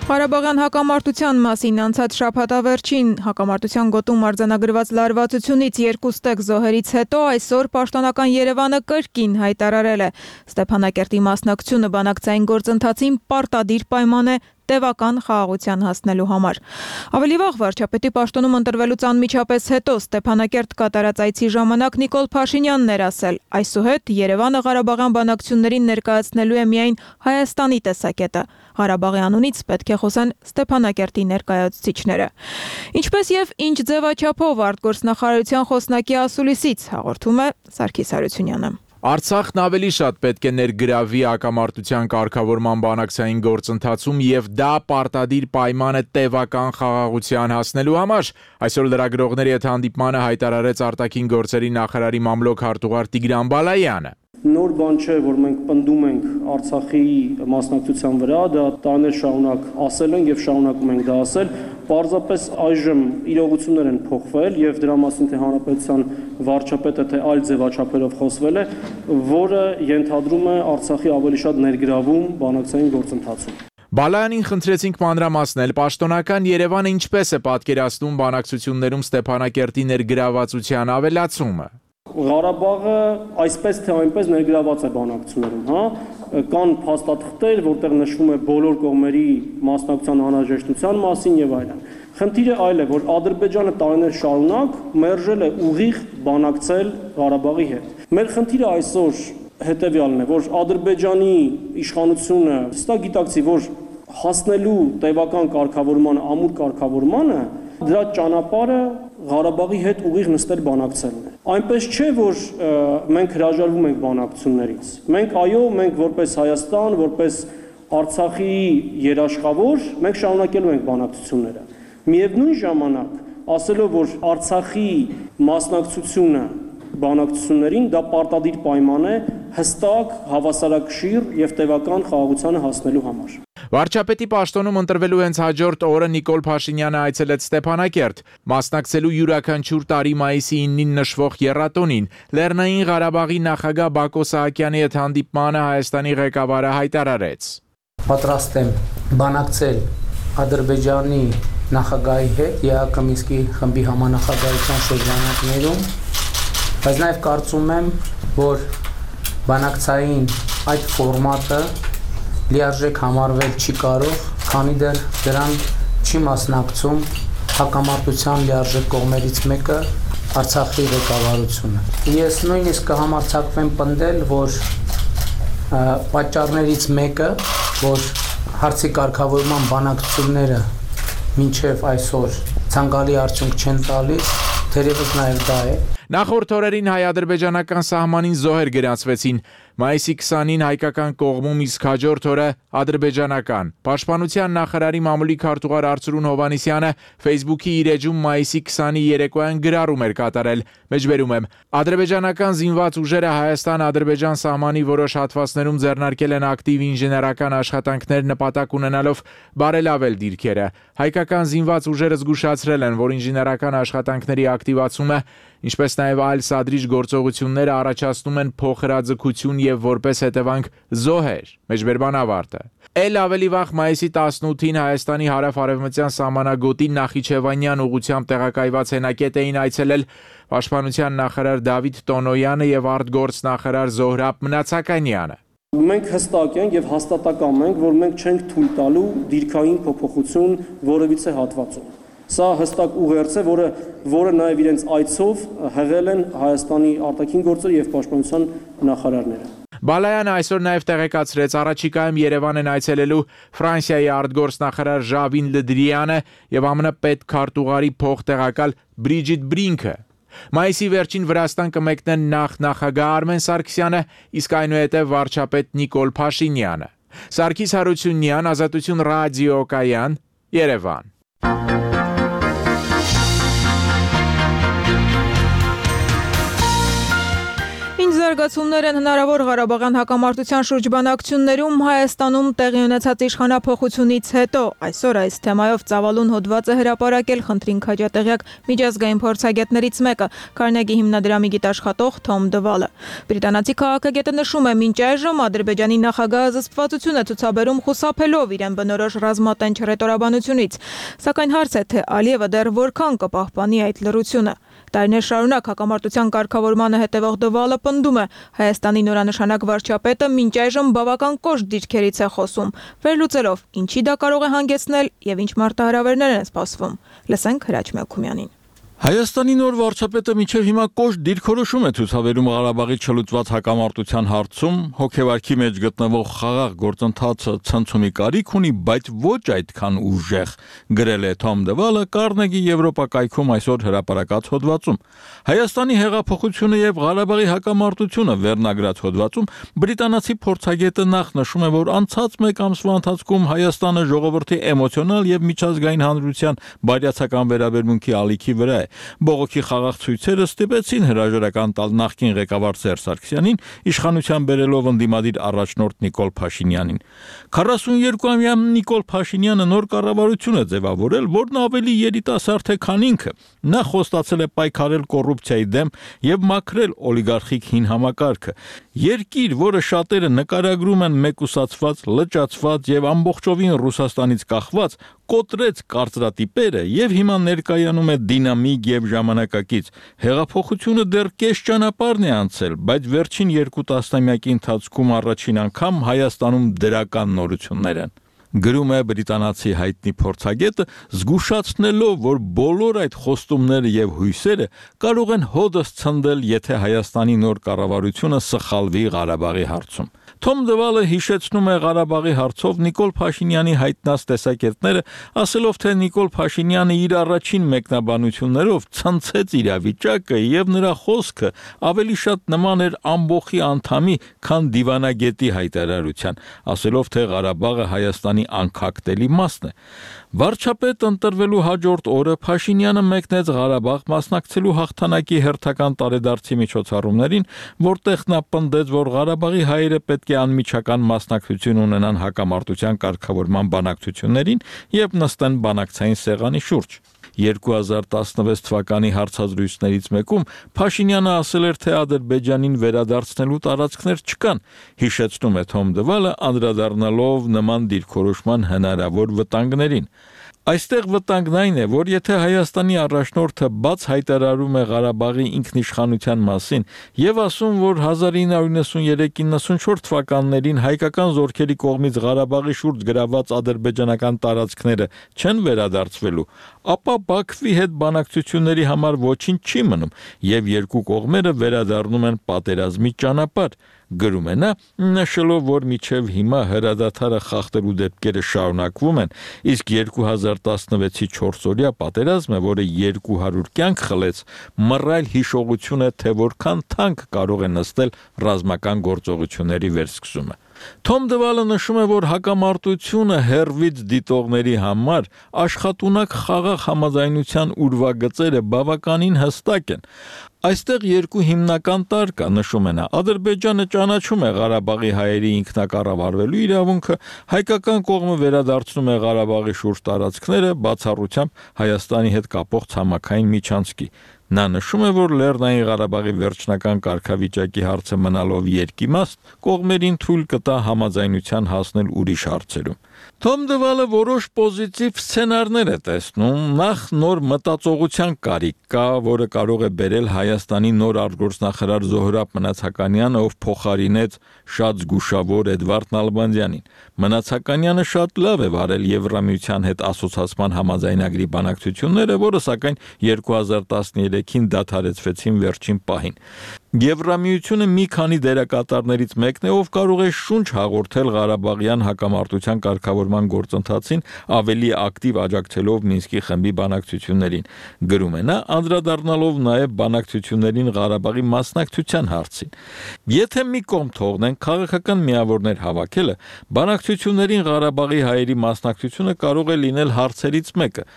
Ղարաբաղյան հակամարտության մասին անցած շաբաթավերջին հակամարտության գոտում արձանագրված լարվածությունից 2 ստեկ զոհերից հետո այսօր պաշտոնական Երևանը կրկին հայտարարել է Ստեփանակերտի մասնակցությունը բանակցային գործընթացին պարտադիր պայման է տևական խաղաղության հասնելու համար։ Ավելի վաղ վարչապետի պաշտոնում ընտրվելուց անմիջապես հետո Ստեփանակերտ կատարած այցի ժամանակ Նիկոլ Փաշինյանն էր ասել. այսուհետ Երևանը Ղարաբաղյան բանակցություններին ներկայացնելու է միայն Հայաստանի տեսակետը։ Ղարաբաղի անունից պետք է խոսեն Ստեփանակերտի ներկայացուցիչները։ Ինչպես եւ ինչ ձևաչափով արտգործնախարարության խոսնակի ասուլիսից հաղորդում է Սարգիս Հարությունյանը։ Արցախն ավելի շատ պետք է ներգրավվի հակամարտության կարգավորման բանակցային գործընթացում եւ դա պարտադիր պայման է տևական խաղաղության հասնելու համար։ Այսօր լրագրողների հետ հանդիպմանը հայտարարեց արտաքին գործերի նախարարի մամլոք հարտուղար Տիգրան Բալայանը։ Նոր բան չէ, որ մենք պնդում ենք Արցախի մասնակցության վրա, դա տարիներ շարունակ ասել ենք եւ շարունակում ենք դա ասել, Պարզապես այժմ իրողություններ են փոխվել եւ դրա մասին թե հանրապետության վարչապետը թե այլ ձևաչափերով խոսվել է, որը ենթադրում է Արցախի ավելի շատ ներգրավում բանակցային գործընթացում։ Բալայանին խնդրեցինք մանրամասնել պաշտոնական Երևանը ինչպես է պատկերացնում բանակցություններում Ստեփանակերտի ներգրավվածության ավելացումը։ Ղարաբաղը այսպես թե այնպես ներգրաված է բանակցություններում, հա, կան փաստաթղթեր, որտեղ նշվում է բոլոր կողմերի մասնակցության անհրաժեշտության մասին եւ այլն։ Խնդիրը այլ է, որ Ադրբեջանը տարիներ շարունակ մերժել է ուղիղ բանակցել Ղարաբաղի հետ։ Մեր խնդիրը այսօր հետեւյալն է, որ Ադրբեջանի իշխանությունը հստակ գիտակցի, որ հասնելու տևական կարգավորմանը, ամուր կարգավորմանը, դրա ճանապարհը Ղարաբաղի հետ ուղիղ նստել բանակցելն է։ Այնպես չէ, որ մենք հրաժարվում ենք բանակցություններից։ Մենք որպես Հայաստան, որպես Արցախի երաշխավոր, մենք շարունակելու ենք բանակցությունները։ Միևնույն ժամանակ, ասելով, որ Արցախի մասնակցությունը բանակցություններին դա պարտադիր պայման է հստակ, հավասարակշիռ եւ տևական խաղաղությանը հասնելու համար։ Վարչապետի պաշտոնում ընտրվելու հենց հաջորդ օրը Նիկոլ Փաշինյանը այցելեց Ստեփանակերտ, մասնակցելու յուրաքանչյուր տարի մայիսի 9-ին նշվող եռատոնին։ Լեռնային Ղարաբաղի նախագահ Բակո Սահակյանի հետ հանդիպմանը Հայաստանի ղեկավարը հայտարարեց. Պատրաստ եմ բանակցել Ադրբեջանի նախագահի հետ ԵԱԿ Մինսկի խմբի համանախագահության շրջանակներում, բայց նաև կարծում եմ, որ բանակցային այդ ֆորմատը լիարժեք համարվել չի կարող, քանի դեռ դրան չի մասնակցում հակամարտության լիարժեք կողմերից մեկը Արցախի ղեկավարությունը։ Ես նույնիսկ կհամարձակվեմ պնդել, որ պատճառներից մեկը, որ հարցի կարգավորման բանակցությունները մինչև այսօր ցանկալի արդյունք չեն տալիս, թերևս նաև դա է։ Նախորդ օրերին հայ-ադրբեջանական սահմանին զոհեր գրանցվեցին։ Մայիսի 20-ին հայկական կողմում, իսկ հաջորդ օրը ադրբեջանական։ Պաշտպանության նախարարի մամուլի քարտուղար Արծրուն Հովհաննիսյանը Facebook-ի իր էջում մայիսի 20-ի երեկոյան գրառում էր կատարել։ Մեջբերում եմ. ադրբեջանական զինված ուժերը Հայաստան-Ադրբեջան սահմանի որոշ հատվածներում ձեռնարկել են ակտիվ ինժեներական աշխատանքներ նպատակ ունենալով բարելավել դիրքերը։ Հայկական զինված ուժերը զգուշացրել են, որ ինժեներական աշխատանքների ակտիվացումը, ինչպես նաև այլ սադրիչ գործողությունները առաջացնում են փոխհրաձգություն եւ որպես հետևանք զոհեր։ Մեջբերման ավարտը։ Էլ ավելի վաղ մայիսի 18-ին Հայաստանի հարավ-արևմտյան սահմանագոտի Նախիջևանյան ուղությամբ տեղակայված հենակետ էին այցելել Պաշտպանության նախարար Դավիթ Տոնոյանը եւ արտգործնախարար Զոհրաբ Մնացականյանը։ Մենք հստակ ենք եւ հաստատակամ ենք, որ մենք չենք թույլ տալու դիրքային փոփոխություն որևիցե հատվածում։ Սա հստակ ուղերձ է, որը նաև իրենց այցով հղել են Հայաստանի արտաքին գործերի եւ պաշտպանության նախարարները։ Բալայանը այսօր նաև տեղեկացրեց առաջիկայում Երևան են այցելելու Ֆրանսիայի արտգործնախարար Ժավին Լդրիանը եւ ԱՄՆ պետքարտուղարի փոխտեղակալ Բրիջիտ Բրինքը։ Մայիսի վերջին Վրաստան կմեկնեն նախագահ Արմեն Սարգսյանը, իսկ այնուհետև վարչապետ Նիկոլ Փաշինյանը։ Սարգիս Հարությունյան, Ազատություն ռադիոկայան, Երևան։ Զարգացումներ են հնարավոր Ղարաբաղյան հակամարտության շրջբանակցություններում Հայաստանում տեղի ունեցած իշխանափոխությունից հետո։ Այսօր այս թեմայով ծավալուն հոդված է հրապարակել խնդրին քաջատեղյակ միջազգային փորձագետներից մեկը, Քարնեգի հիմնադրամի գիտաշխատող Թոմ Դվալը։ Բրիտանացի քաղաքագետը նշում է, մինչ այժմ Ադրբեջանի նախագահը զսպվածություն է ցուցաբերում խուսափելով իրեն բնորոշ ռազմատենչ հռետորաբանությունից, սակայն հարց է, թե Ալիևը դեռ որքան կպահպանի այդ լռությունը։ Տարիներ շարունակ հակամարտության կարգավորմանը հետևող Դվալը պնդում է, Հայաստանի նորանշանակ վարչապետը մինչ այժմ բավական կոշտ դիրքերից է խոսում, վերլուծելով ինչի դա կարող է հանգեցնել եւ ինչ մարտահրավերներ են սպասվում։ Լսենք Հրաչ Մելքումյանին։ Հայաստանի նոր վարչապետը մինչև հիմա կոշտ դիրքորոշում է ցուցաբերում Ղարաբաղի չլուծված հակամարտության հարցում, հոգեվարքի մեջ գտնվող խաղաղ գործընթացը ցնցումի կարիք ունի, բայց ոչ այդքան ուժեղ, գրել է Թոմ Դվալը Կարնեգի Եվրոպակայքում այսօր հրապարակած հոդվածում։ Հայաստանի հեղափոխությունը եւ Ղարաբաղի հակամարտությունը վերնագրած հոդվածում բրիտանացի փորձագետը նախ նշում է, որ անցած մեկ ամսվա ընթացքում Հայաստանը ժողովրդի էմոցիոնալ եւ միջազգային հանրության բարյացակամ վերաբերմունքի ալիքի վրա է։ Բողոքի խաղաղ ցույցերը ստիպեցին հրաժարական տալ նախկին ղեկավար Սերժ Սարգսյանին, իշխանության բերելով ընդդիմադիր առաջնորդ Նիկոլ Փաշինյանին։ 42-ամյա Նիկոլ Փաշինյանը նոր կառավարություն է ձևավորել, որն ավելի երիտասարդ է, քան ինքը։ Նա խոստացել է պայքարել կոռուպցիայի դեմ եւ մաքրել օլիգարխիկ հին համակարգը։ Երկիր, որը շատերը նկարագրում են մեկուսացված, լճացված եւ ամբողջովին Ռուսաստանից կախված, կոտրեց կարծրատիպերը եւ հիմա ներկայանում է դինամիկ եւ ժամանակակից։ Հեղափոխությունը դեռ կես ճանապարհն է անցել, բայց վերջին 2 տասնամյակի ընթացքում առաջին անգամ Հայաստանում դրական նորություններ են։ Գրում է բրիտանացի հայտնի փորձագետը, զգուշացնելով, որ բոլոր այդ խոստումները եւ հույսերը կարող են հոդս ցնդել, եթե Հայաստանի նոր կառավարությունը սխալվի Ղարաբաղի հարցում։ Թոմ Դվալը հիշեցնում է Ղարաբաղի հարցով Նիկոլ Փաշինյանի հայտնած տեսակետները, ասելով, թե Նիկոլ Փաշինյանը իր առաջին մեկնաբանություններով ցնցեց իրավիճակը եւ նրա խոսքը ավելի շատ նման էր ամբոխի անդամի, քան դիվանագետի հայտարարության, ասելով, թե Ղարաբաղը Հայաստանի անկախտելի մասն է։ Վարչապետ ընտրվելու հաջորդ օրը Փաշինյանը մեկնեց Ղարաբաղ մասնակցելու հաղթանակի հերթական տարեդարձի միջոցառումներին, որտեղ նա պնդեց, որ Ղարաբաղի հայերը պետք է անմիջական մասնակցություն ունենան հակամարտության կարգավորման բանակցություններին եւ նստեն բանակցային սեղանի շուրջ։ 2016 թվականի հարցազրույցներից մեկում Փաշինյանը ասել էր, թե Ադրբեջանին վերադարձնելու տարածքներ չկան, հիշեցնում է Թոմ Դվալը, անդրադառնալով նման դիրքորոշման հնարավոր վտանգներին։ Այստեղ վտանգն այն է, որ եթե Հայաստանի առաջնորդը բաց հայտարարում է Ղարաբաղի ինքնիշխանության մասին եւ ասում, որ 1993-94 թվականներին հայկական զորքերի կողմից Ղարաբաղի շուրջ գրաված ադրբեջանական տարածքները չեն վերադարձվելու, ապա Բաքվի հետ բանակցությունների համար ոչինչ չի մնում եւ երկու կողմերը վերադառնում են պատերազմի ճանապարհ։ Գրում է նա, նշելով, որ միջև հիմա հրադադարը խախտելու դեպքերը շարունակվում են, իսկ 2016-ի 4-օրյա պատերազմը, որը 200 կյանք խլեց, մռայլ հիշողություն է, թե որքան թանկ կարող է նստել ռազմական գործողությունների վերսկսումը։ Թոմ Դվալը նշում է, որ հակամարտությունը հերվից դիտողների համար աշխատունակ խաղաղ համաձայնության ուրվագծերը բավականին հստակ են։ Այստեղ երկու հիմնական տարր կա, նշում է նա, Ադրբեջանը ճանաչում է Ղարաբաղի հայերի ինքնակառավարվելու իրավունքը, հայկական կողմը վերադարձնում է Ղարաբաղի շուրջ տարածքները բացառությամբ Հայաստանի հետ կապող ցամաքային միջանցքի։ Նա նշում է, որ Լեռնային Ղարաբաղի վերջնական կարգավիճակի հարցը մնալով երկիմաստ, կողմերին թույլ կտա համաձայնության հասնել ուրիշ հարցերում։ Թոմ Դվալը որոշ պոզիտիվ սցենարներ է տեսնում, նախ նոր մտածողության կարիք կա, որը կարող է բերել Հայաստանի նոր արտգործնախարար Զոհրաբ Մնացականյանը, ով փոխարինեց շատ զգուշավոր Էդվարդ Նալբանդյանին։ Մնացականյանը շատ լավ է վարել Եվրամիության հետ ասոցացման համաձայնագրի բանակցությունները, որը սակայն 2013-ին դադարեցվեցին վերջին պահին։ Եվրամիությունը մի քանի դերակատարներից մեկն է, ով կարող է շունչ հաղորդել Ղարաբաղյան հակամարտության կարգավորման գործընթացին, ավելի ակտիվ աջակցելով Մինսկի խմբի բանակցություններին։ Գրում է նա, անդրադառնալով նաև բանակցություններին Ղարաբաղի մասնակցության հարցին։ Եթե մի կողմ թողնենք քաղաքական միավորներ հավաքելը, բանակցություններին Ղարաբաղի հայերի մասնակցությունը կարող է լինել հարցերից մեկը։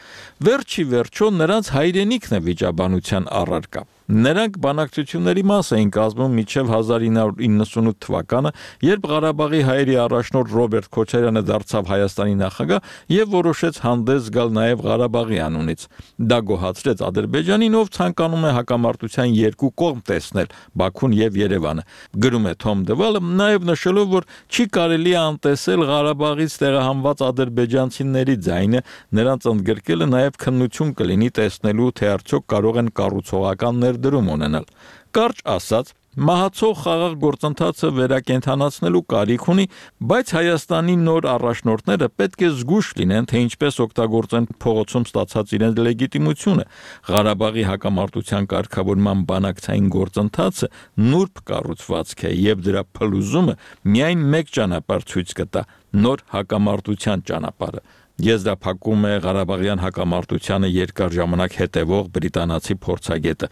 Վերջի վերջո նրանց հայրենիքն է վիճաբանության առարկա։ Նրանք բանակցությունների մաս էին կազմում մինչև 1998 թվականը, երբ Ղարաբաղի հայերի առաջնորդ Ռոբերտ Քոչարյանը դարձավ Հայաստանի նախագահ եւ որոշեց հանդես գալ նաեւ Ղարաբաղի անունից։ Դա գոհացրեց Ադրբեջանին, ով ցանկանում է հակամարտության երկու կողմ տեսնել՝ Բաքուն եւ Երևանը։ Գրում է Թոմ Դվալը, նաեւ նշելով, որ չի կարելի անտեսել Ղարաբաղից տեղահանված ադրբեջանցիների ձայնը, նրանց ընդգրկելը նաեւ քննություն կլինի տեսնելու, թե արդյոք կարող են կառուցողական ներդրում ունենալ։ Կարճ ասած, մահացող խաղաղ գործընթացը վերակենդանացնելու կարիք ունի, բայց Հայաստանի նոր առաջնորդները պետք է զգույշ լինեն, թե ինչպես օգտագործեն փողոցում ստացած իրենց լեգիտիմությունը։ Ղարաբաղի հակամարտության կարգավորման բանակցային գործընթացը նուրբ կառուցվածք է եւ դրա փլուզումը միայն մեկ ճանապարհ ցույց կտա՝ նոր հակամարտության ճանապարհը։ Եզրափակում է Ղարաբաղյան հակամարտությանը երկար ժամանակ հետևող բրիտանացի փորձագետը։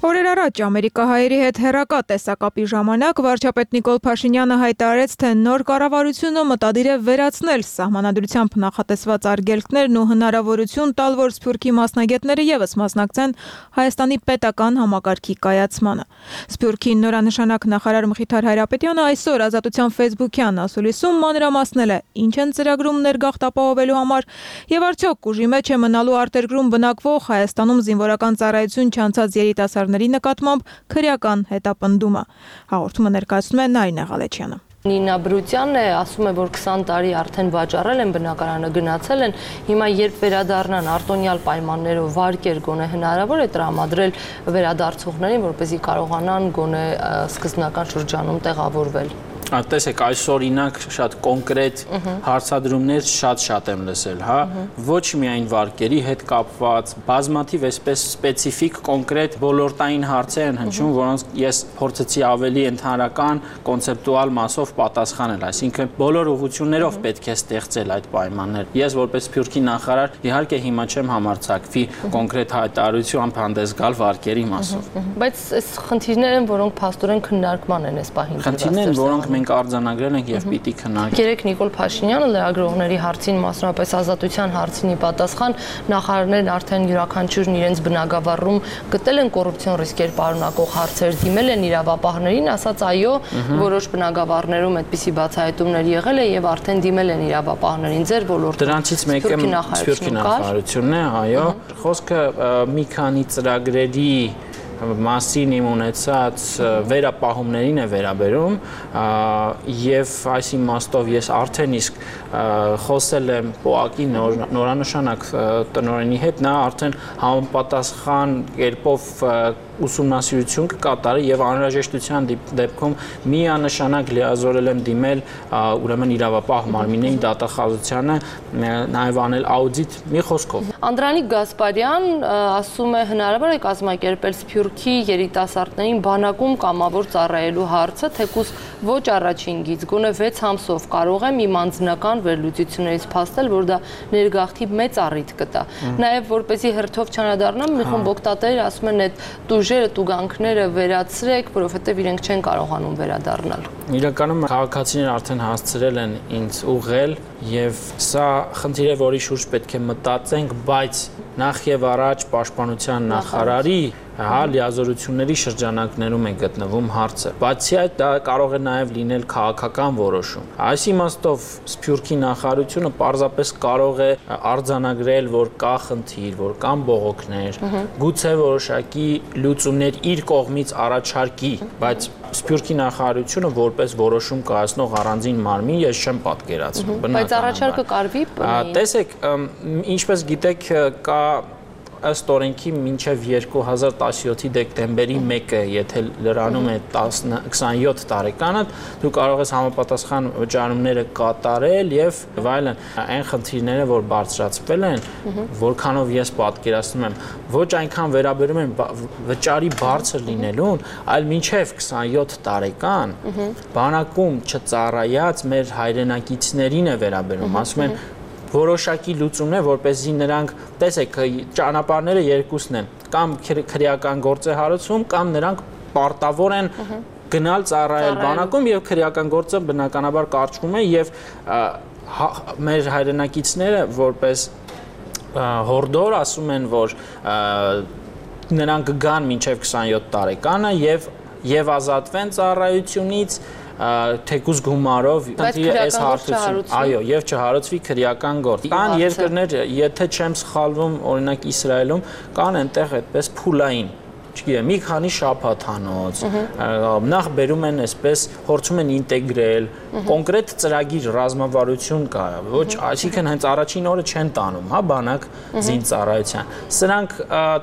Օրեր առաջ ամերիկահայերի հետ հեռակա տեսակապի ժամանակ վարչապետ Նիկոլ Փաշինյանը հայտարարեց, թե նոր կառավարությունը մտադիր է վերացնել սահմանադրությամբ նախատեսված արգելքներն ու հնարավորություն տալ, որ Սփյուռքի մասնագետները ևս մասնակցեն Հայաստանի պետական համակարգի կայացմանը։ Սփյուռքի նորանշանակ նախարար Մխիթար Հայրապետյանը այսօր Ազատության Facebook-յան ասուլիսում մանրամասնել է, ինչ են ծրագրում ներգաղթ ապահովելու համար եւ արդյոք ուժի մեջ է մնալու արտերկրում բնակվող Հայաստանում զինվորական ծառայություն չանցած երիտասարդների նկատմամբ քրեական հետապնդումը։ Հաղորդումը ներկայացնում է Նարինե Ղալեչյանը։ Նինա Բրուտյանն է, ասում է, որ 20 տարի արդեն վաճառել են, բնակարանը գնացել են, հիմա երբ վերադառնան արտոնյալ պայմաններով վարկեր գոնե հնարավոր է տրամադրել վերադարձողներին, որպեսզի կարողանան գոնե սկզբնական շրջանում տեղավորվել։ Տեսեք, այս օրինակ շատ կոնկրետ հարցադրումներ շատ եմ լսել, հա, ոչ միայն վարկերի հետ կապված, բազմաթիվ այսպես սպეციფიկ կոնկրետ ոլորտային հարցեր են հնչում, որոնց ես փորձեցի ավելի ընդհանրական կոնցեպտուալ մասով պատասխանել, այսինքն բոլոր ուղղություններով պետք է ստեղծել այդ պայմաններ։ Ես որպես Սփյուռքի նախարար իհարկե հիմա չեմ համարձակվի կոնկրետ հայտարարությամբ հանդես գալ վարկերի մասով։ Բայց այս խնդիրներ են, որոնք փաստորեն քննարկման են այս պահին։ Խնդիրներ են, որոնք մենք արձանագրել ենք եւ պիտի քննարկենք։ Երեք Նիկոլ Փաշինյանը լրագրողների հարցին, մասնավորապես ազատության հարցին պատասխան, նախարարներն արդեն յուրաքանչյուրն իրենց բնակավարում գտել են կոռուպցիոն ռիսկեր պարունակող հարցեր, դիմել են իրավապահներին, ասաց այո, որոշ բնակավարներում այդպիսի բացահայտումներ եղել է եւ արդեն դիմել են իրավապահներին ձեր ոլորտում։ Դրանցից մեկը Սփյուռքի նախարարությունն է, այո։ Խոսքը մի քանի ծրագրերի մասին իմ ունեցած վերապահումներին է վերաբերում եւ այս իմաստով ես արդեն իսկ խոսել եմ ՊՕԱԿ-ի նորանշանակ տնօրենի հետ, նա արդեն համապատասխան կերպով ուսումնասիրություն կկատարի եւ անհրաժեշտության դեպքում միանշանակ լիազորել եմ դիմել ուրեմն իրավապահ մարմինների դատախազությանը նաեւ անել աուդիտ մի խոսքով։ Անդրանիկ Գասպարյան ասում է հնարավոր է կազմակերպել Սփյուռքի երիտասարդներին բանակում կամավոր ծառայելու հարցը, թեկուզ ոչ առաջին գիծ, գոնե 6 ամսով կարող եմ իմ անձնական վերլուծություններից փաստել, որ դա ներգաղթի մեծ առիթ կտա։ Նաեւ որպեսզի հերթով չանադառնամ, մի խումբ օգտատերեր ասում են այդ տուժերը, տուգանքները վերացրեք, որովհետեւ իրենք չեն կարողանում վերադառնալ։ Իրականում քաղաքացիները արդեն հասցրել են ինձ ուղղել եւ սա խնդիր է, որի շուրջ պետք է մտածենք, բայց նախ եւ առաջ պաշտպանության նախարարի լիազորությունների շրջանակներում է գտնվում հարցը։ Բացի այդ, դա կարող է նաև լինել քաղաքական որոշում։ Այս իմաստով Սփյուռքի նախարարությունը պարզապես կարող է արձանագրել, որ կա խնդիր, որ կան բողոքներ, գուցե որոշակի լուծումներ իր կողմից առաջարկի, բայց Սփյուռքի նախարարությունը որպես որոշում կայացնող առանձին մարմին ես չեմ պատկերացնում։ Բայց առաջարկը կարվի։ Տեսեք, ինչպես գիտեք, կա ըստ օրենքի մինչև 2017-ի դեկտեմբերի 1-ը, եթե լրանում է 27 տարեկանը, դու կարող ես համապատասխան վճարումները կատարել եւ այլն։ Այն խնդիրները, որ բարձրացվել են, որքանով ես պատկերացնում եմ, ոչ այնքան վերաբերում են վճարի բարձր լինելուն, այլ մինչև 27 տարեկան բանակում չծառայած մեր հայրենակիցներին է վերաբերում, ասում են որոշակի լուծումն է, որպեսզի նրանք, տեսեք, ճանապարհները երկուսն են, կամ քրեական գործ է հարուցում, կամ նրանք պարտավոր են գնալ ծառայել բանակում եւ քրեական գործը բնականաբար կարճվում է եւ մեր հայրենակիցները որպես հորդոր ասում են, որ նրանք գան մինչև 27 տարեկանը եւ ազատվեն ծառայությունից թեկուզ գումարով, այս հարցություն, այո, եւ չհարուցվի քրեական գործ։ Կան երկրներ, եթե չեմ սխալվում, օրինակ Իսրայելում կան այնտեղ այդպես փուլային, չգիտեմ, մի քանի շաբաթանոց, նախ բերում են այսպես, փորձում են ինտեգրել, կոնկրետ ծրագիր ռազմավարություն կա, ոչ, այսինքն հենց առաջին օրը չեն տանում, հա, բանակ զինծառայության։ Սրանք,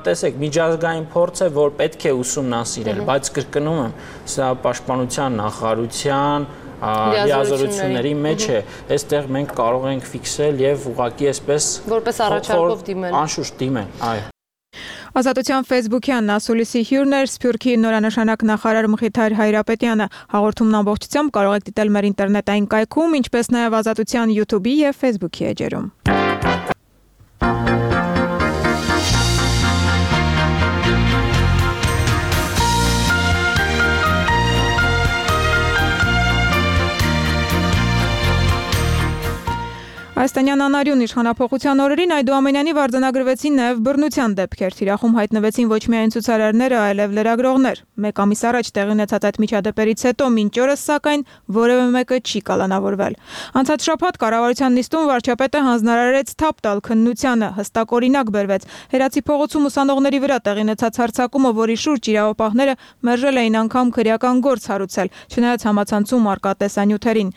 տեսեք, միջազգային փորձ է, որ պետք է ուսումնասիրել, բայց կրկնում եմ, սա պաշտպանության նախարարության լիազորությունների մեջ է, այստեղ մենք կարող ենք ֆիքսել եւ ուղղակի այսպես որպես առաջարկով դիմել։ Անշուշտ դիմել, այո։ Ազատության Facebook-յան ասուլիսի հյուրն էր Սփյուռքի նորանշանակ նախարար Մխիթար Հայրապետյանը։ Հաղորդումն ամբողջությամբ կարող եք դիտել մեր ինտերնետային կայքում, ինչպես նաև Ազատության YouTube-ի եւ Facebook-ի էջերում։ Հայաստանյան անարյուն իշխանափոխության օրերին այդուամենայնիվ արձանագրվեցին նաև բռնության դեպքեր։ Թիրախում հայտնվեցին ոչ միայն ցուցարարները, այլև լրագրողներ։ Մեկ ամիս առաջ տեղի ունեցած այդ միջադեպերից հետո մինչ օրս սակայն որևէ մեկը չի կալանավորվել։ Անցած շաբաթ կառավարության նիստում վարչապետը հանձնարարեց թափ տալ քննությանը, հստակ օրինակ բերվեց։ Հերացի փողոցում ուսանողների վրա տեղի ունեցած հարձակումը, որի շուրջ իրավապահները մերժել էին անգամ քրեական գործ հարուցել, չնայած համացանցում առկա տեսանյութերին։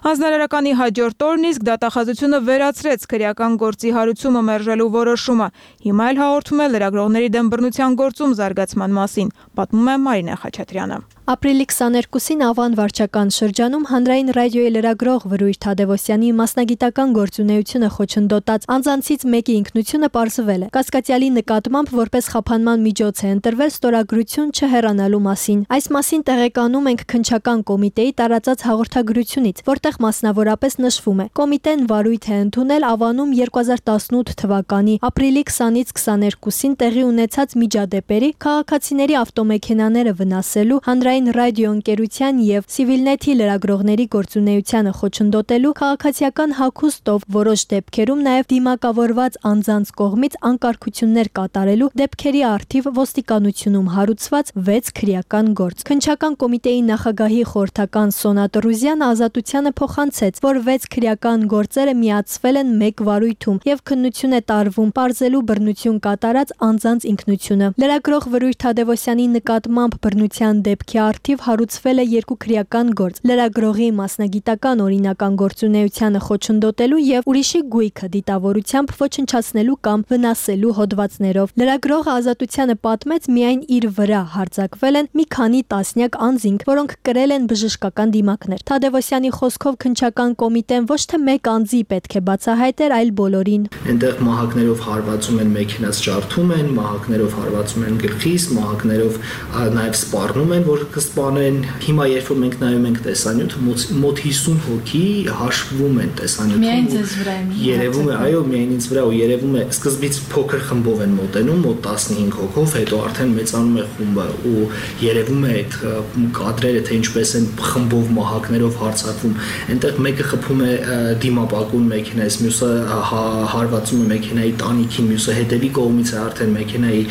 Հանձնարարականի հաջորդ օրն իսկ դատախազությունը վերացրեց քրեական գործի հարուցումը մերժելու որոշումը։ Հիմա էլ հաղորդում է լրագրողների դեմ բռնության գործում զարգացման մասին, պատմում է Մարինե Խաչատրյանը։ Ապրիլի 22-ին Ավան վարչական շրջանում հանրային ռադիոյի լրագրող Վրույր Թադևոսյանի մասնագիտական գործունեությունը խոչընդոտած անձանցից մեկի ինքնությունը պարզվել է։ Կասկածյալի նկատմամբ որպես խափանման միջոց է ընտրվել ստորագրություն չհեռանալու մասին։ Այս մասին տեղեկանում ենք քննչական կոմիտեի տարածած հաղորդագրությունից, որտեղ մասնավորապես նշվում է. կոմիտեն վարույթ է ընդունել Ավանում 2018 թվականի ապրիլի 20-ից 22-ին տեղի ունեցած միջադեպերի քաղաքացիների ավտոմեքենաները վնասելու հանրային ռադիոընկերության եւ Civilnet-ի լրագրողների գործունեությանը խոչընդոտելու քաղաքացիական հագուստով որոշ դեպքերում նաեւ դիմակավորված անձանց կողմից անկարգություններ կատարելու դեպքերի առթիվ ոստիկանությունում հարուցված 6 քրեական գործ։ Քննչական կոմիտեի նախագահի խորհրդական Սոնա Տրուզյանը Ազատությանը փոխանցեց, որ 6 քրեական գործերը միացվել են մեկ վարույթում եւ քննություն է տարվում պարզելու բռնություն կատարած անձանց ինքնությունը։ Լրագրող Վրույր Թադևոսյանի նկատմամբ բռնության դեպքի առթիվ հարուցվել է 2 քրեական գործ՝ լրագրողի մասնագիտական օրինական գործունեությանը խոչընդոտելու եւ ուրիշի գույքը դիտավորությամբ ոչնչացնելու կամ վնասելու հոդվածներով։ Լրագրողը Ազատությանը պատմեց, միայն իր վրա հարձակվել են մի քանի տասնյակ անձինք, որոնք կրել են բժշկական դիմակներ։ Թադևոսյանի խոսքով քննչական կոմիտեն ոչ թե մեկ անձի պետք է բացահայտեր, այլ բոլորին։ Այնտեղ մահակներով հարվածում են մեքենաս ջարդում են, մահակներով հարվածում են գլխիս, մահակներով նաեւ սպառնում են, որ կսպանեն։ Հիմա երբ որ մենք նայում ենք տեսանյութը, մոտ 50 հոգի հաշվում են տեսանյութում։ Միայն ձեզ վրա է։ Երևում է, այո, միայն ինձ վրա, ու երևում է սկզբից փոքր խմբով են մոտենում, մոտ 15 հոգով, հետո արդեն մեծանում է խումբը, ու երևում է այդ կադրերը, թե ինչպես են խմբով մահակներով հարձակվում։ Այնտեղ մեկը խփում է դիմապակուն մեքենայից, մյուսը հարվածում է մեքենայի տանիքին, մյուսը հետևի կողմից է արդեն մեքենայի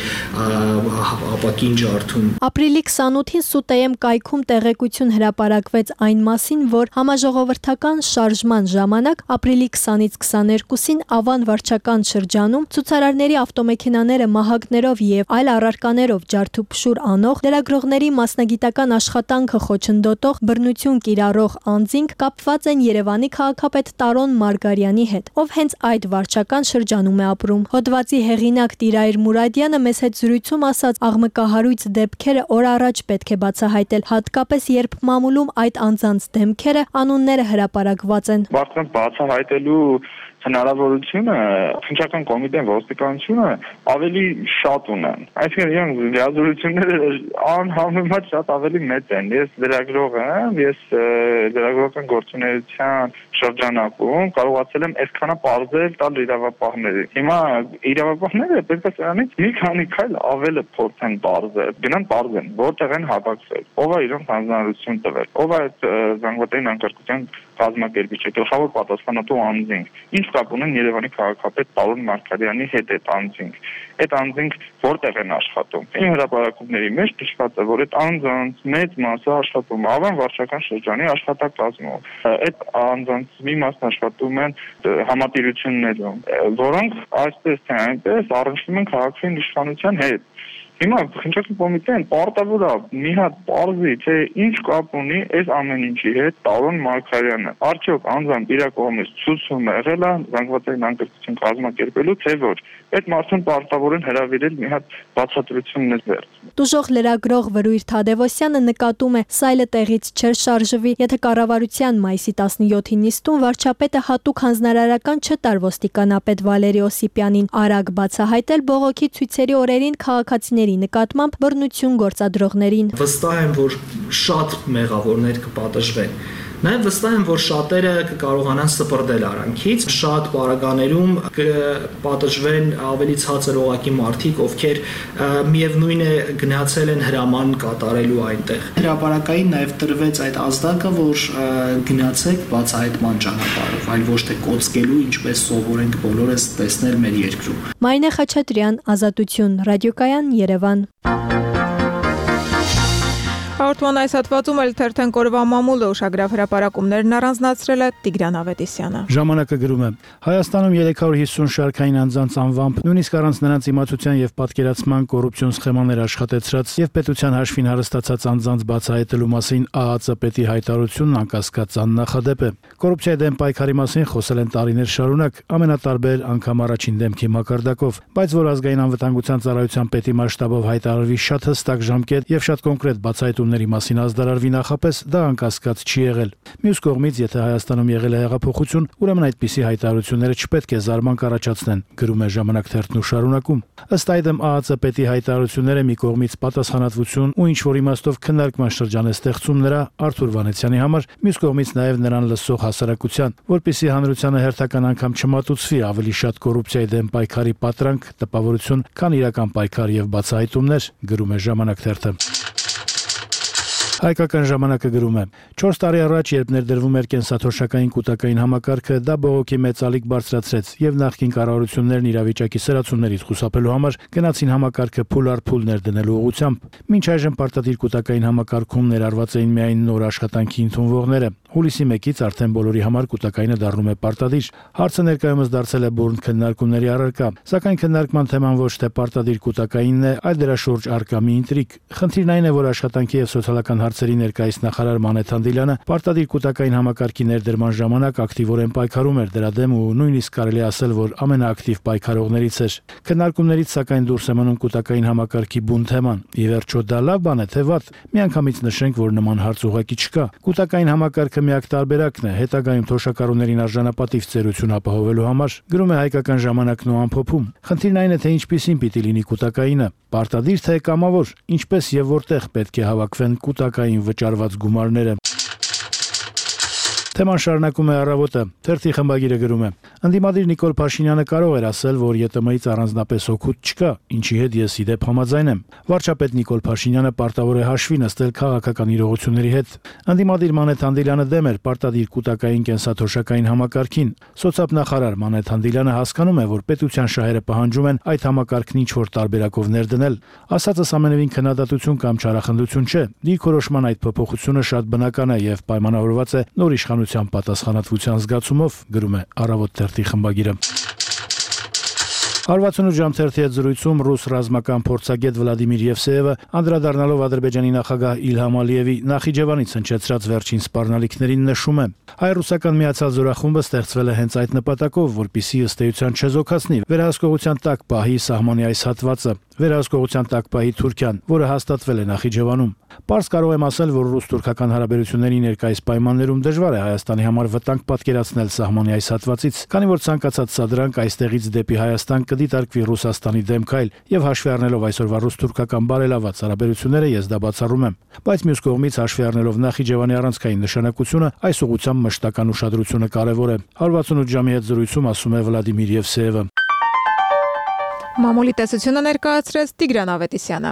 ապակին ջարդում։ Ապրիլի 28-ին Սուտեյեմ կայքում տեղեկություն հրապարակվեց այն մասին, որ համաժողովրդական շարժման ժամանակ ապրիլի 20-ից 22-ին Ավան վարչական շրջանում ցուցարարների ավտոմեքենաները մահակներով եւ այլ առարկաներով ջարդուփշուր անող լրագրողների մասնագիտական աշխատանքը խոչընդոտող բռնություն կիրառող անձինք կապված են Երևանի քաղաքապետ Տարոն Մարգարյանի հետ, ով հենց այդ վարչական շրջանում է ապրում։ Հոդվածի հեղինակ Տիրայր Մուրադյանը մեզ հետ զրույցում ասաց, աղմկահարույց դեպքերը օր առաջ պետք է բացահայտել, հատկապես երբ մամուլում այդ անձանց դեմքերը, անունները հրապարակված են։ Բարձրացնել բացահայտելու հնարավորությունը քննչական կոմիտեն ոստիկանությունը ավելի շատ ունեն։ Այսինքն իրենք լիազորությունները անհամեմատ շատ ավելի մեծ են։ Ես լրագրող եմ, ես լրագրողական գործունեության շրջանակում կարողացել եմ այսքանը պարզել տալ իրավապահներին։ Հիմա իրավապահները պետք է սրանից մի քանի քայլ ավել փորձեն պարզել, գնան պարզեն, որտեղ են հավաքվել, ով է իրենք հանձնարարություն տվել, ով է այդ զանգվածային անկարգության կազմակերպիչը, գլխավոր պատասխանատու անձինք։ Ինչ կապ ունեն Երևանի քաղաքապետ Տարոն Մարգարյանի հետ այդ անձինք։ Այդ անձինք որտեղ են աշխատում։ Իմ հրապարակումների մեջ նշված է, որ այդ անձանց մեծ մասը աշխատում է Ավան վարչական շրջանի աշխատակազմում։ Այդ անձանց մի մասն աշխատում են համատիրություններում, որոնք այսպես թե այնպես առնչվում են քաղաքային իշխանության հետ։ Հիմա քննչական կոմիտեն պարտավոր է մի հատ պարզի, թե ինչ կապ ունի այս ամեն ինչի հետ Տարոն Մարգարյանը։ Արդյոք անձամբ իր կողմից ցուցում եղել է զանգվածային անկարգություն կազմակերպելու, թե ոչ։ Այդ մարդուն պարտավոր են հրավիրել մի հատ բացատրություններ վերցնել։ Տուժող լրագրող Վրույր Թադևոսյանը նկատում է, սայլը տեղից չէր շարժվի, եթե կառավարության մայիսի 17-ի նիստում վարչապետը հատուկ հանձնարարական չտար ոստիկանապետ Վալերի Օսիպյանին արագ բացահայտել բողոքի ցույցերի օրերին քաղաքացիների նկատմամբ բռնություն գործադրողներին։ Վստահ եմ, որ շատ մեղավորներ կպատժվեն, Նաև վստահ եմ, որ շատերը կկարողանան սպրդել արանքից, շատ պարագաներում կպատժվեն ավելի ցածր օղակի մարդիկ, ովքեր միևնույն է գնացել են հրաման կատարելու այնտեղ։ Հրապարակային նաև տրվեց այդ ազդակը, որ գնացեք բացահայտման ճանապարհով, այլ ոչ թե կոծկելու, ինչպես սովոր ենք բոլորս տեսնել մեր երկրում։ Մարինե Խաչատրյան, Ազատություն, Ռադիոկայան, Երևան։ Հաղորդման այս հատվածում էլ թերթենք օրվա մամուլը ուշագրավ հրապարակումներն առանձնացրել է Տիգրան Ավետիսյանը։ Ժամանակը գրում է. Հայաստանում 350 շարքային անձանց անվամբ, նույնիսկ առանց նրանց իմացության եւ պատկերացման կոռուպցիոն սխեմաներ աշխատեցրած եւ պետության հաշվին հարստացած անձանց բացահայտելու մասին ԱԱԾ պետի հայտարարությունն անկասկած աննախադեպ է։ Կոռուպցիայի դեմ պայքարի մասին խոսել են տարիներ շարունակ, ամենատարբեր անգամ առաջին դեմքի մակարդակով, բայց որ ազգային անվտանգության ծառայության պետի մասշտաբով հայտարարվի շատ հստակ ժամկետ եւ շատ կոնկրետ բացահայտումների մասին ազդարարվի նախապես, դա անկասկած չի եղել։ Մյուս կողմից, եթե Հայաստանում եղել է հեղափոխություն, ուրեմն այդպիսի հայտարարությունները չպետք է զարմանք առաջացնեն, գրում է Ժամանակ թերթն ու շարունակում։ Ըստ այդմ ԱԱԾ պետի հայտարարությունները մի կողմից պատասխանատվություն ու ինչ-որ իմաստով քննարկման շրջան է ստեղծում նրա Արթուր Վանեցյանի համար, մյուս կողմից նաև նրան լսող հասարակության, որպեսզի հանրությանը հերթական անգամ չմատուցվի ավելի շատ կոռուպցիայի դեմ պայքարի պատրանք, տպավորություն, քան իրական պայքար եւ բացահայտումներ, գրում է Ժամանակ թերթը։ Հայկական ժամանակը գրում է. 4 տարի առաջ, երբ ներդրվում էր կենսաթոշակային կուտակային համակարգը, դա բողոքի մեծ ալիք բարձրացրեց եւ նախկին կառավարություններն իրավիճակի սրացումներից խուսափելու համար գնացին համակարգը փուլ առ փուլ ներդնելու ուղղությամբ։ Մինչ այժմ պարտադիր կուտակային համակարգում ներառված էին միայն նոր աշխատանքի ընդունվողները։ Հուլիսի 1-ից արդեն բոլորի համար կուտակայինը դառնում է պարտադիր։ Հարցը ներկայումս դարձել է բուրըն քննարկումների առարկա, սակայն քննարկման թեման ոչ թե պարտադիր կուտակայինն է, այլ դրա շուրջ առկա մի ինտրիգ։ Խնդիրն այն է, որ աշխատանքի եւ սոցիալական հարցերի ներկայիս նախարար Մանեթ Հանդիլյանը պարտադիր կուտակային համակարգի ներդրման ժամանակ ակտիվորեն պայքարում էր դրա դեմ ու նույնիսկ կարելի ասել, որ ամենաակտիվ պայքարողներից էր։ Քննարկումներից սակայն դուրս է մնում կուտակային համակարգի բուն թեման։ Ի վերջո դա լավ բան է թե վատ։ Միանգամից նշենք, որ նման հարց ուղղակի չկա։ Կուտակային համակարգը միակ տարբերակն է հետագայում թոշակառուներին արժանապատիվ ծերություն ապահովելու համար, գրում է Հայկական ժամանակն ու ամփոփում։ Խնդիրն այն է, թե ինչպիսին պիտի լինի կուտակայինը, պարտադիր թե կամավոր, ինչպես եւ որտեղ պետք է հավաքվեն կուտակային վճարված գումարները։ Թեման շարունակում է Առավոտը, թերթի խմբագիրը գրում է. Ընդդիմադիր Նիկոլ Փաշինյանը կարող էր ասել, որ ԵՏՄ-ից առանձնապես օգուտ չկա, ինչի հետ ես իդեպ համաձայն եմ։ Վարչապետ Նիկոլ Փաշինյանը պարտավոր է հաշվի նստել քաղաքական իրողությունների հետ։ Ընդդիմադիր Մանեթ Հանդիլյանը դեմ էր պարտադիր կուտակային կենսաթոշակային համակարգին։ Սոցիալնախարար Մանեթ Հանդիլյանը հասկանում է, որ պետության շահերը պահանջում են այդ համակարգն ինչ-որ տարբերակով ներդնել։ Ասածս ամենևին քննադատություն կամ չարախնդություն չէ։ Դիրքորոշման այդ փոփոխությունը շատ բնական է եւ պայմանավորված է նոր իշխանության պատասխանատվության զգացումով, գրում է Առավոտ թերթի խմբագիրը։ 168 ժամ թերթի հետ զրույցում ռուս ռազմական փորձագետ Վլադիմիր Եվսեևը անդրադառնալով Ադրբեջանի նախագահ Իլհամ Ալիևի Նախիջևանից հնչեցրած վերջին սպառնալիքներին նշում է. հայ-ռուսական միացյալ զորախումբը ստեղծվել է հենց այդ նպատակով, որպեսզի ըստ էության չեզոքացնի վերահսկողության տակ պահի սահմանի այս հատվածը, վերահսկողության տակ պահի Թուրքիան, որը հաստատվել է Նախիջևանում։ Պարզ կարող եմ ասել, որ ռուս-թուրքական հարաբերությունների ներկայիս պայմաններում դժվար է Հայաստանի համար վտանգ պատկերացնել սահմանի այս հատվածից, քանի որ ցանկացած սադրանք այստեղից դեպի Հայաստան կդիտարկվի Ռուսաստանի դեմ քայլ, եւ հաշվի առնելով այսօրվա ռուս-թուրքական բարելաված հարաբերությունները ես դա բացառում եմ։ Բայց մյուս կողմից հաշվի առնելով Նախիջևանի առանցքային նշանակությունը, այս ուղղությամբ մշտական ուշադրությունը կարևոր է։ 168 ժամի հետ զրույցում ասում է Վլադիմիր Եվսեևը։ Մամուլի տեսությունը ներկայացրեց Տիգրան Ավետիսյանը։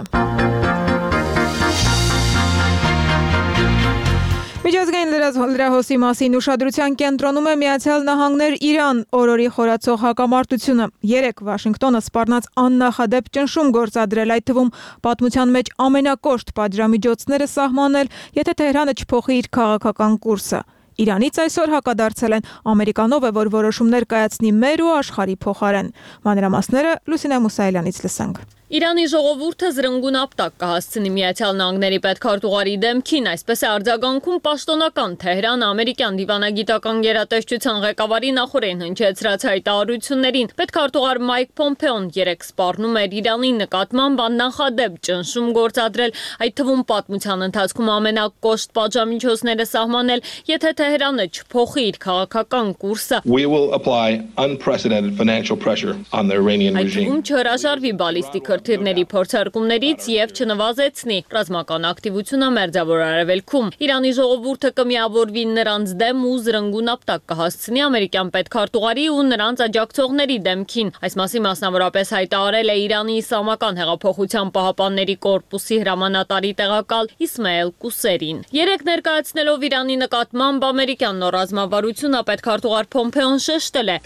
Միջազգային լրահոսի մասին ուշադրության կենտրոնում է Միացյալ Նահանգներ-Իրան օրորի խորացող հակամարտությունը։ 3 Վաշինգտոնը սպառնաց աննախադեպ ճնշում գործադրել, այդ թվում պատմության մեջ ամենակոշտ պատժամիջոցները սահմանել, եթե Թեհրանը չփոխի իր քաղաքական կուրսը։ Իրանից այսօր հակադարձել են ամերիկանով է, որ որոշումներ կայացնի մեր ու աշխարհի փոխարեն։ Մանրամասները Լուսինե Մուսայելյանից լսենք։ Իրանի ժողովուրդը զրնգուն ապտակ կհասցնի Միացյալ Նահանգների պետքարտուղարի դեմքին, այսպես է արձագանքում պաշտոնական Թեհրանը ամերիկյան դիվանագիտական գերատեսչության ղեկավարի նախօրեն հնչեցրած հայտարարություններին։ Պետքարտուղար Մայք Պոմպեոն 3 սպառնում էր Իրանի նկատմամբ աննախադեպ ճնշում գործադրել, այդ թվում պատմության ընթացքում ամենակոշտ պատժամիջոցները սահմանել, եթե Թեհրանը չփոխի իր քաղաքական կուրսը։ We will apply unprecedented financial pressure on the Iranian regime. Այդ թվում չհրաժարվի բալիստիկ խնդիրների փորձարկումներից եւ չնվազեցնի ռազմական ակտիվությունը Մերձավոր Արևելքում։ Իրանի ժողովուրդը կմիավորվի նրանց դեմ ու զրնգուն ապտակ կհասցնի ամերիկյան պետքարտուղարի ու նրանց աջակցողների դեմքին։ Այս մասին մասնավորապես հայտարարել է Իրանի Իսլամական հեղափոխության պահապանների կորպուսի հրամանատարի տեղակալ Իսմայել Կուսերին։ Երեք ներկայացնելով Իրանի նկատմամբ ամերիկյան նոր ռազմավարությունը պետքարտուղար Փոմփեոն շեշտել է.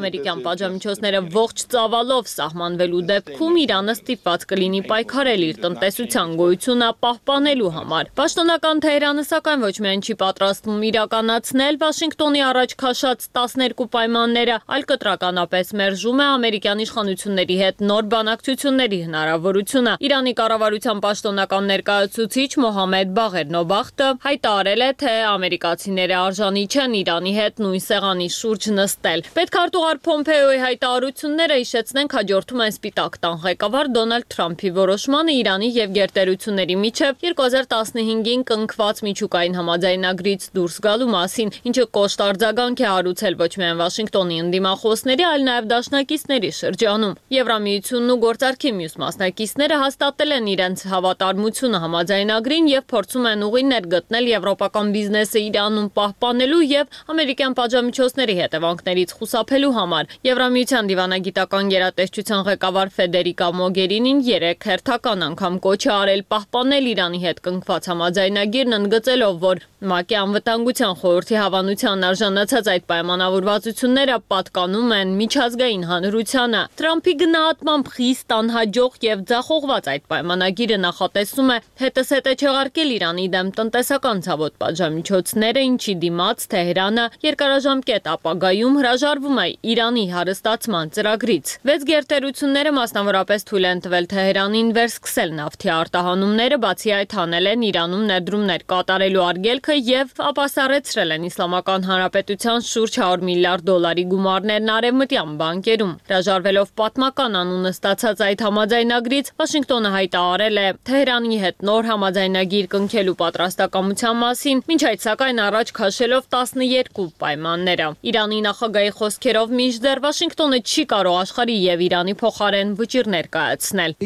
ամերիկյան պատժամիջոցները ողջ ծավալով սահմանվելու դեպքում Իրանը ստիպված կլինի պայքարել իր տնտեսության գոյությունը պահպանելու համար։ Պաշտոնական Թեհրանը սակայն ոչ միայն չի պատրաստվում իրականացնել Վաշինգտոնի առաջ քաշած 12 պայմանները, այլ կտրականապես մերժում է ամերիկյան իշխանությունների հետ նոր բանակցությունների հնարավորությունը։ Իրանի կառավարության պաշտոնական ներկայացուցիչ Մոհամմեդ Բաղեր Նոբախտը հայտարարել է, թե ամերիկացիները արժանի չեն Իրանի հետ նույն սեղանի շուրջ նստել։ Պետքարտուղար Փոմփեոյի հայտարարությունները հիշեցնենք հաջորդում են Սպիտակ տան ղեկավար Դոնալդ Թրամփի որոշմանը Իրանի եւ գերտերությունների միջև 2015-ին կնքված միջուկային համաձայնագրից դուրս գալու մասին, ինչը կոշտ արձագանք է հարուցել ոչ միայն Վաշինգտոնի ընդդիմախոսների, այլ նաեւ դաշնակիցների շրջանում։ Եվրամիությունն ու գործարքի մյուս մասնակիցները հաստատել են իրենց հավատարմությունը համաձայնագրին եւ փորձում են ուղիներ գտնել եվրոպական բիզնեսը Իրանում պահպանելու եւ ամերիկյան պատժամիջոցների հետևանքներից խուսափելու համար։ Եվրամիության դիվանագիտական գերատեսչության ղեկավար Ֆեդերիկա Մոգերինին 3 հերթական անգամ կոչ է արել պահպանել Իրանի հետ կնքված համաձայնագիրն, ընդգծելով, որ ՄԱԿ-ի անվտանգության խորհրդի հավանության արժանացած այդ պայմանավորվածությունները պատկանում են միջազգային հանրությանը։ Թրամփի գնահատմամբ խիստ անհաջող եւ ձախողված այդ պայմանագիրը նախատեսում է հետզհետե չեղարկել Իրանի դեմ տնտեսական ցավոտ պատժամիջոցները, ինչի դիմաց Թեհրանը երկարաժամկետ ապագայում հրաժարվում է Իրանի հարստացման ծրագրից։ 6 գերտերությունները մասնավորապես թույլ են տվել Թեհրանին վերսկսել նավթի արտահանումները, բացի այդ հանել են Իրանում ներդրումներ կատարելու արգելքը եւ ապասառեցրել են Իսլամական Հանրապետության շուրջ $100 միլիարդ գումարներն արևմտյան բանկերում։ Հրաժարվելով պատմական անունը ստացած այդ համաձայնագրից, Վաշինգտոնը հայտարարել է Թեհրանի հետ նոր համաձայնագիր կնքելու պատրաստակամության մասին, մինչ այդ սակայն առաջ քաշելով 12 պայմանները։ Իրանի նախագահի խոսքերով մինչդեռ Վաշինգտոնը չի կարող աշխարհի եւ Իրանի փոխարեն վճիռներ կայացնել։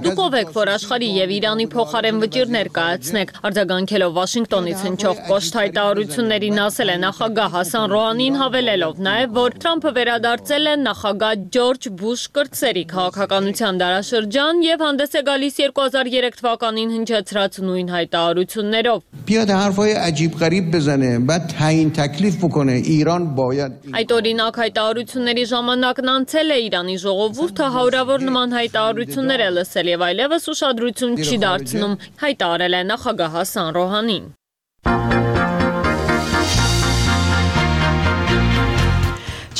Դուք ով եք, որ աշխարհի եւ Իրանի փոխարեն վճիռներ կայացնեք, արձագանքելով Վաշինգտոնից հնչող կոշտ հայտարարություններին ասել է նախագահ Հասան Ռոհանին, հավելելով նաեւ, որ Թրամփը վերադարձել է նախագահ Ջորջ Բուշ կրտսերի քաղաքականության դարաշրջան եւ հանդես է գալիս 2003 թվականին հնչեցրած նույն հայտարարություններով։ Այդ օրինակ հայտարարությունների ժամանակն անցել է, Իրանի ժողովուրդը հարյուրավոր նման հայտարարություններ է լսել եւ այլևս ուշադրություն չի դարձնում, հայտարարել է նախագահ Հասան Ռոհանին։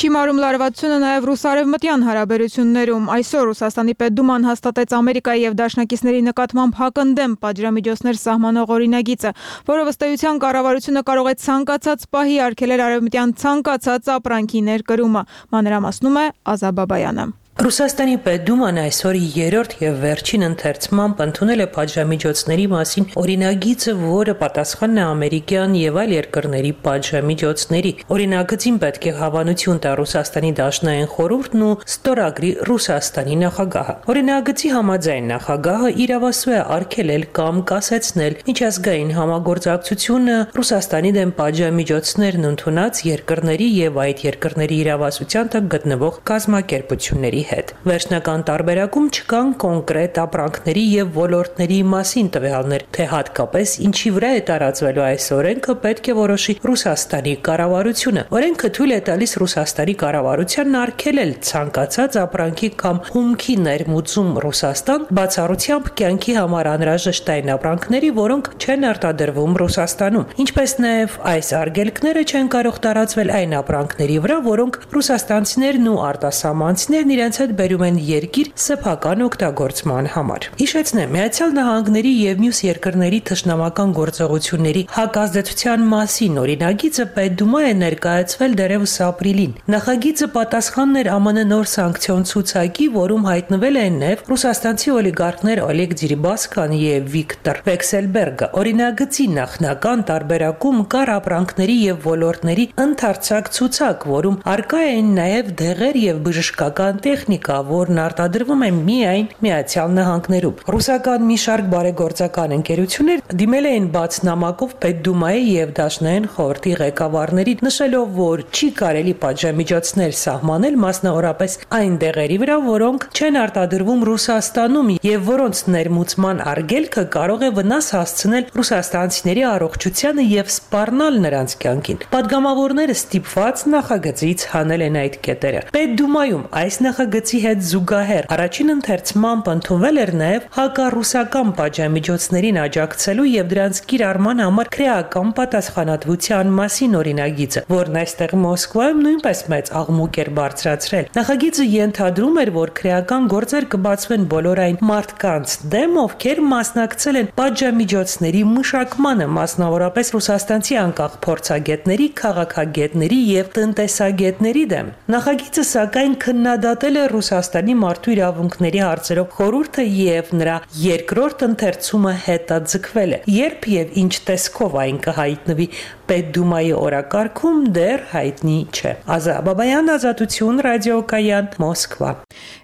Չի մարում լարվածությունը նաև ռուս-արևմտյան հարաբերություններում։ Այսօր Ռուսաստանի Պետդուման հաստատեց Ամերիկայի եւ դաշնակիցների նկատմամբ հակընդդեմ պատժամիջոցներ սահմանող օրինագիծը, որով ըստ էության կառավարությունը կարող է ցանկացած պահի արգելել արևմտյան ցանկացած ապրանքի ներկրումը։ Մանրամասնում է Ազա Բաբայանը։ Ռուսաստանի Պետդուման այսօր 3-րդ եւ վերջին ընթերցմամբ ընդունել է պատժամիջոցների մասին օրինագիծը, որը պատասխանն է ամերիկյան եւ այլ երկրների պատժամիջոցների։ Օրինագծին պետք է հավանություն տա Ռուսաստանի Դաշնային խորհուրդն ու ստորագրի Ռուսաստանի նախագահը։ Օրինագծի համաձայն նախագահը իրավասու է արգելել կամ կասեցնել միջազգային համագործակցությունը Ռուսաստանի դեմ պատժամիջոցներն ընդունած երկրների եւ այդ երկրների իրավասության տակ գտնվող կազմակերպությունների հետ։ Վերջնական տարբերակում չկան կոնկրետ ապրանքների եւ ոլորտների մասին տվյալներ, թե հատկապես ինչի վրա է տարածվելու այս օրենքը պետք է որոշի Ռուսաստանի կառավարությունը։ Օրենքը թույլ է տալիս Ռուսաստանի կառավարությանն արգելել ցանկացած ապրանքի կամ հումքի ներմուծում Ռուսաստան, բացառությամբ կյանքի համար անհրաժեշտ այն ապրանքների, որոնք չեն արտադրվում Ռուսաստանում, ինչպես նաեւ այս արգելքները չեն կարող տարածվել այն ապրանքների վրա, որոնք ռուսաստանցիներն ու արտասահմանցիներն իրենց հետ բերում են երկիր սեփական օգտագործման համար։ Հիշեցնեմ, Միացյալ Նահանգների եւ մյուս երկրների թշնամական գործողությունների հակազդեցության մասին օրինագիծը Պետդումա է ներկայացվել դեռևս ապրիլին։ Նախագիծը պատասխանն էր ԱՄՆ նոր սանկցիոն ցուցակի, որում հայտնվել են նաև ռուսաստանցի օլիգարխներ Օլեգ Դերիբասկան եւ Վիկտոր Վեքսելբերգը։ Օրինագծի նախնական տարբերակում կար ապրանքների եւ ոլորտների ընդարձակ ցուցակ, որում արկա են նաև դեղեր եւ բժշկական տեխնիկա, որն արտադրվում է միայն Միացյալ Նահանգներում։ Ռուսական մի շարք բարեգործական ընկերություններ դիմել էին բաց նամակով Պետդումայի եւ Դաշնային խորհրդի ղեկավարներին, նշելով, որ չի կարելի պատժամիջոցներ սահմանել մասնավորապես այն դեղերի վրա, որոնք չեն արտադրվում Ռուսաստանում եւ որոնց ներմուծման արգելքը կարող է վնաս հասցնել ռուսաստանցիների առողջությանը եւ սպառնալ նրանց կյանքին։ Պատգամավորները ստիպված նախագծից հանել են այդ կետերը։ Պետդումայում այս նախագծի հետ զուգահեռ առաջին ընթերցմամբ ընդունվել էր նաեւ հակառուսական պատժամիջոցներին աջակցելու եւ դրանց կիրառման համար քրեական պատասխանատվության մասին օրինագիծը, որն այստեղ Մոսկվայում նույնպես մեծ աղմուկ էր բարձրացրել։ Նախագիծը ենթադրում էր, որ քրեական գործեր կբացվեն բոլոր այն մարդկանց դեմ, ովքեր մասնակցել են պատժամիջոցների մշակմանը, մասնավորապես ռուսաստանցի անկախ փորձագետների, քաղաքագետների եւ տնտեսագետների դեմ։ Նախագիծը սակայն քննադատել է Ռուսաստանի մարդու իրավունքների հարցերով խորհուրդը եւ նրա երկրորդ ընթերցումը հետաձգվել է։ Երբ եւ ինչ տեսքով այն կհայտնվի Պետդումայի օրակարգում դեռ հայտնի չէ։ Ազա Բաբայան, Ազատություն, Ռադիոկայան, Մոսկվա։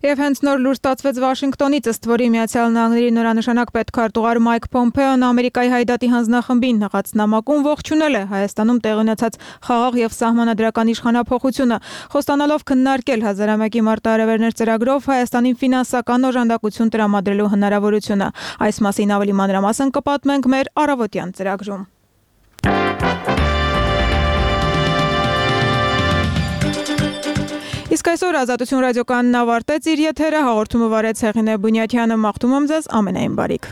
Եվ հենց նոր լուր ստացվեց Վաշինգտոնից, ըստ որի Միացյալ Նահանգների նորանշանակ պետքարտուղար Մայք Պոմպեոն Ամերիկայի հայդատի հանձնախմբին հղած նամակում ողջունել է Հայաստանում տեղի ունեցած խաղաղ եւ սահմանադրական իշխանափոխությունը, խոստանալով քննարկել 1001-ի մարտահրավերներ ծրագրով Հայաստանին ֆինանսական օժանդակություն տրամադրելու հնարավորությունը։ Այս մասին ավելի մանրամասն կպատմենք մեր առավոտյան ծրագրում։ Իսկ այսօր Ազատություն ռադիոկայանն ավարտեց իր եթերը, հաղորդումը վարեց Հեղինե Բունյաթյանը, մաղթում եմ ձեզ ամենայն բարիք։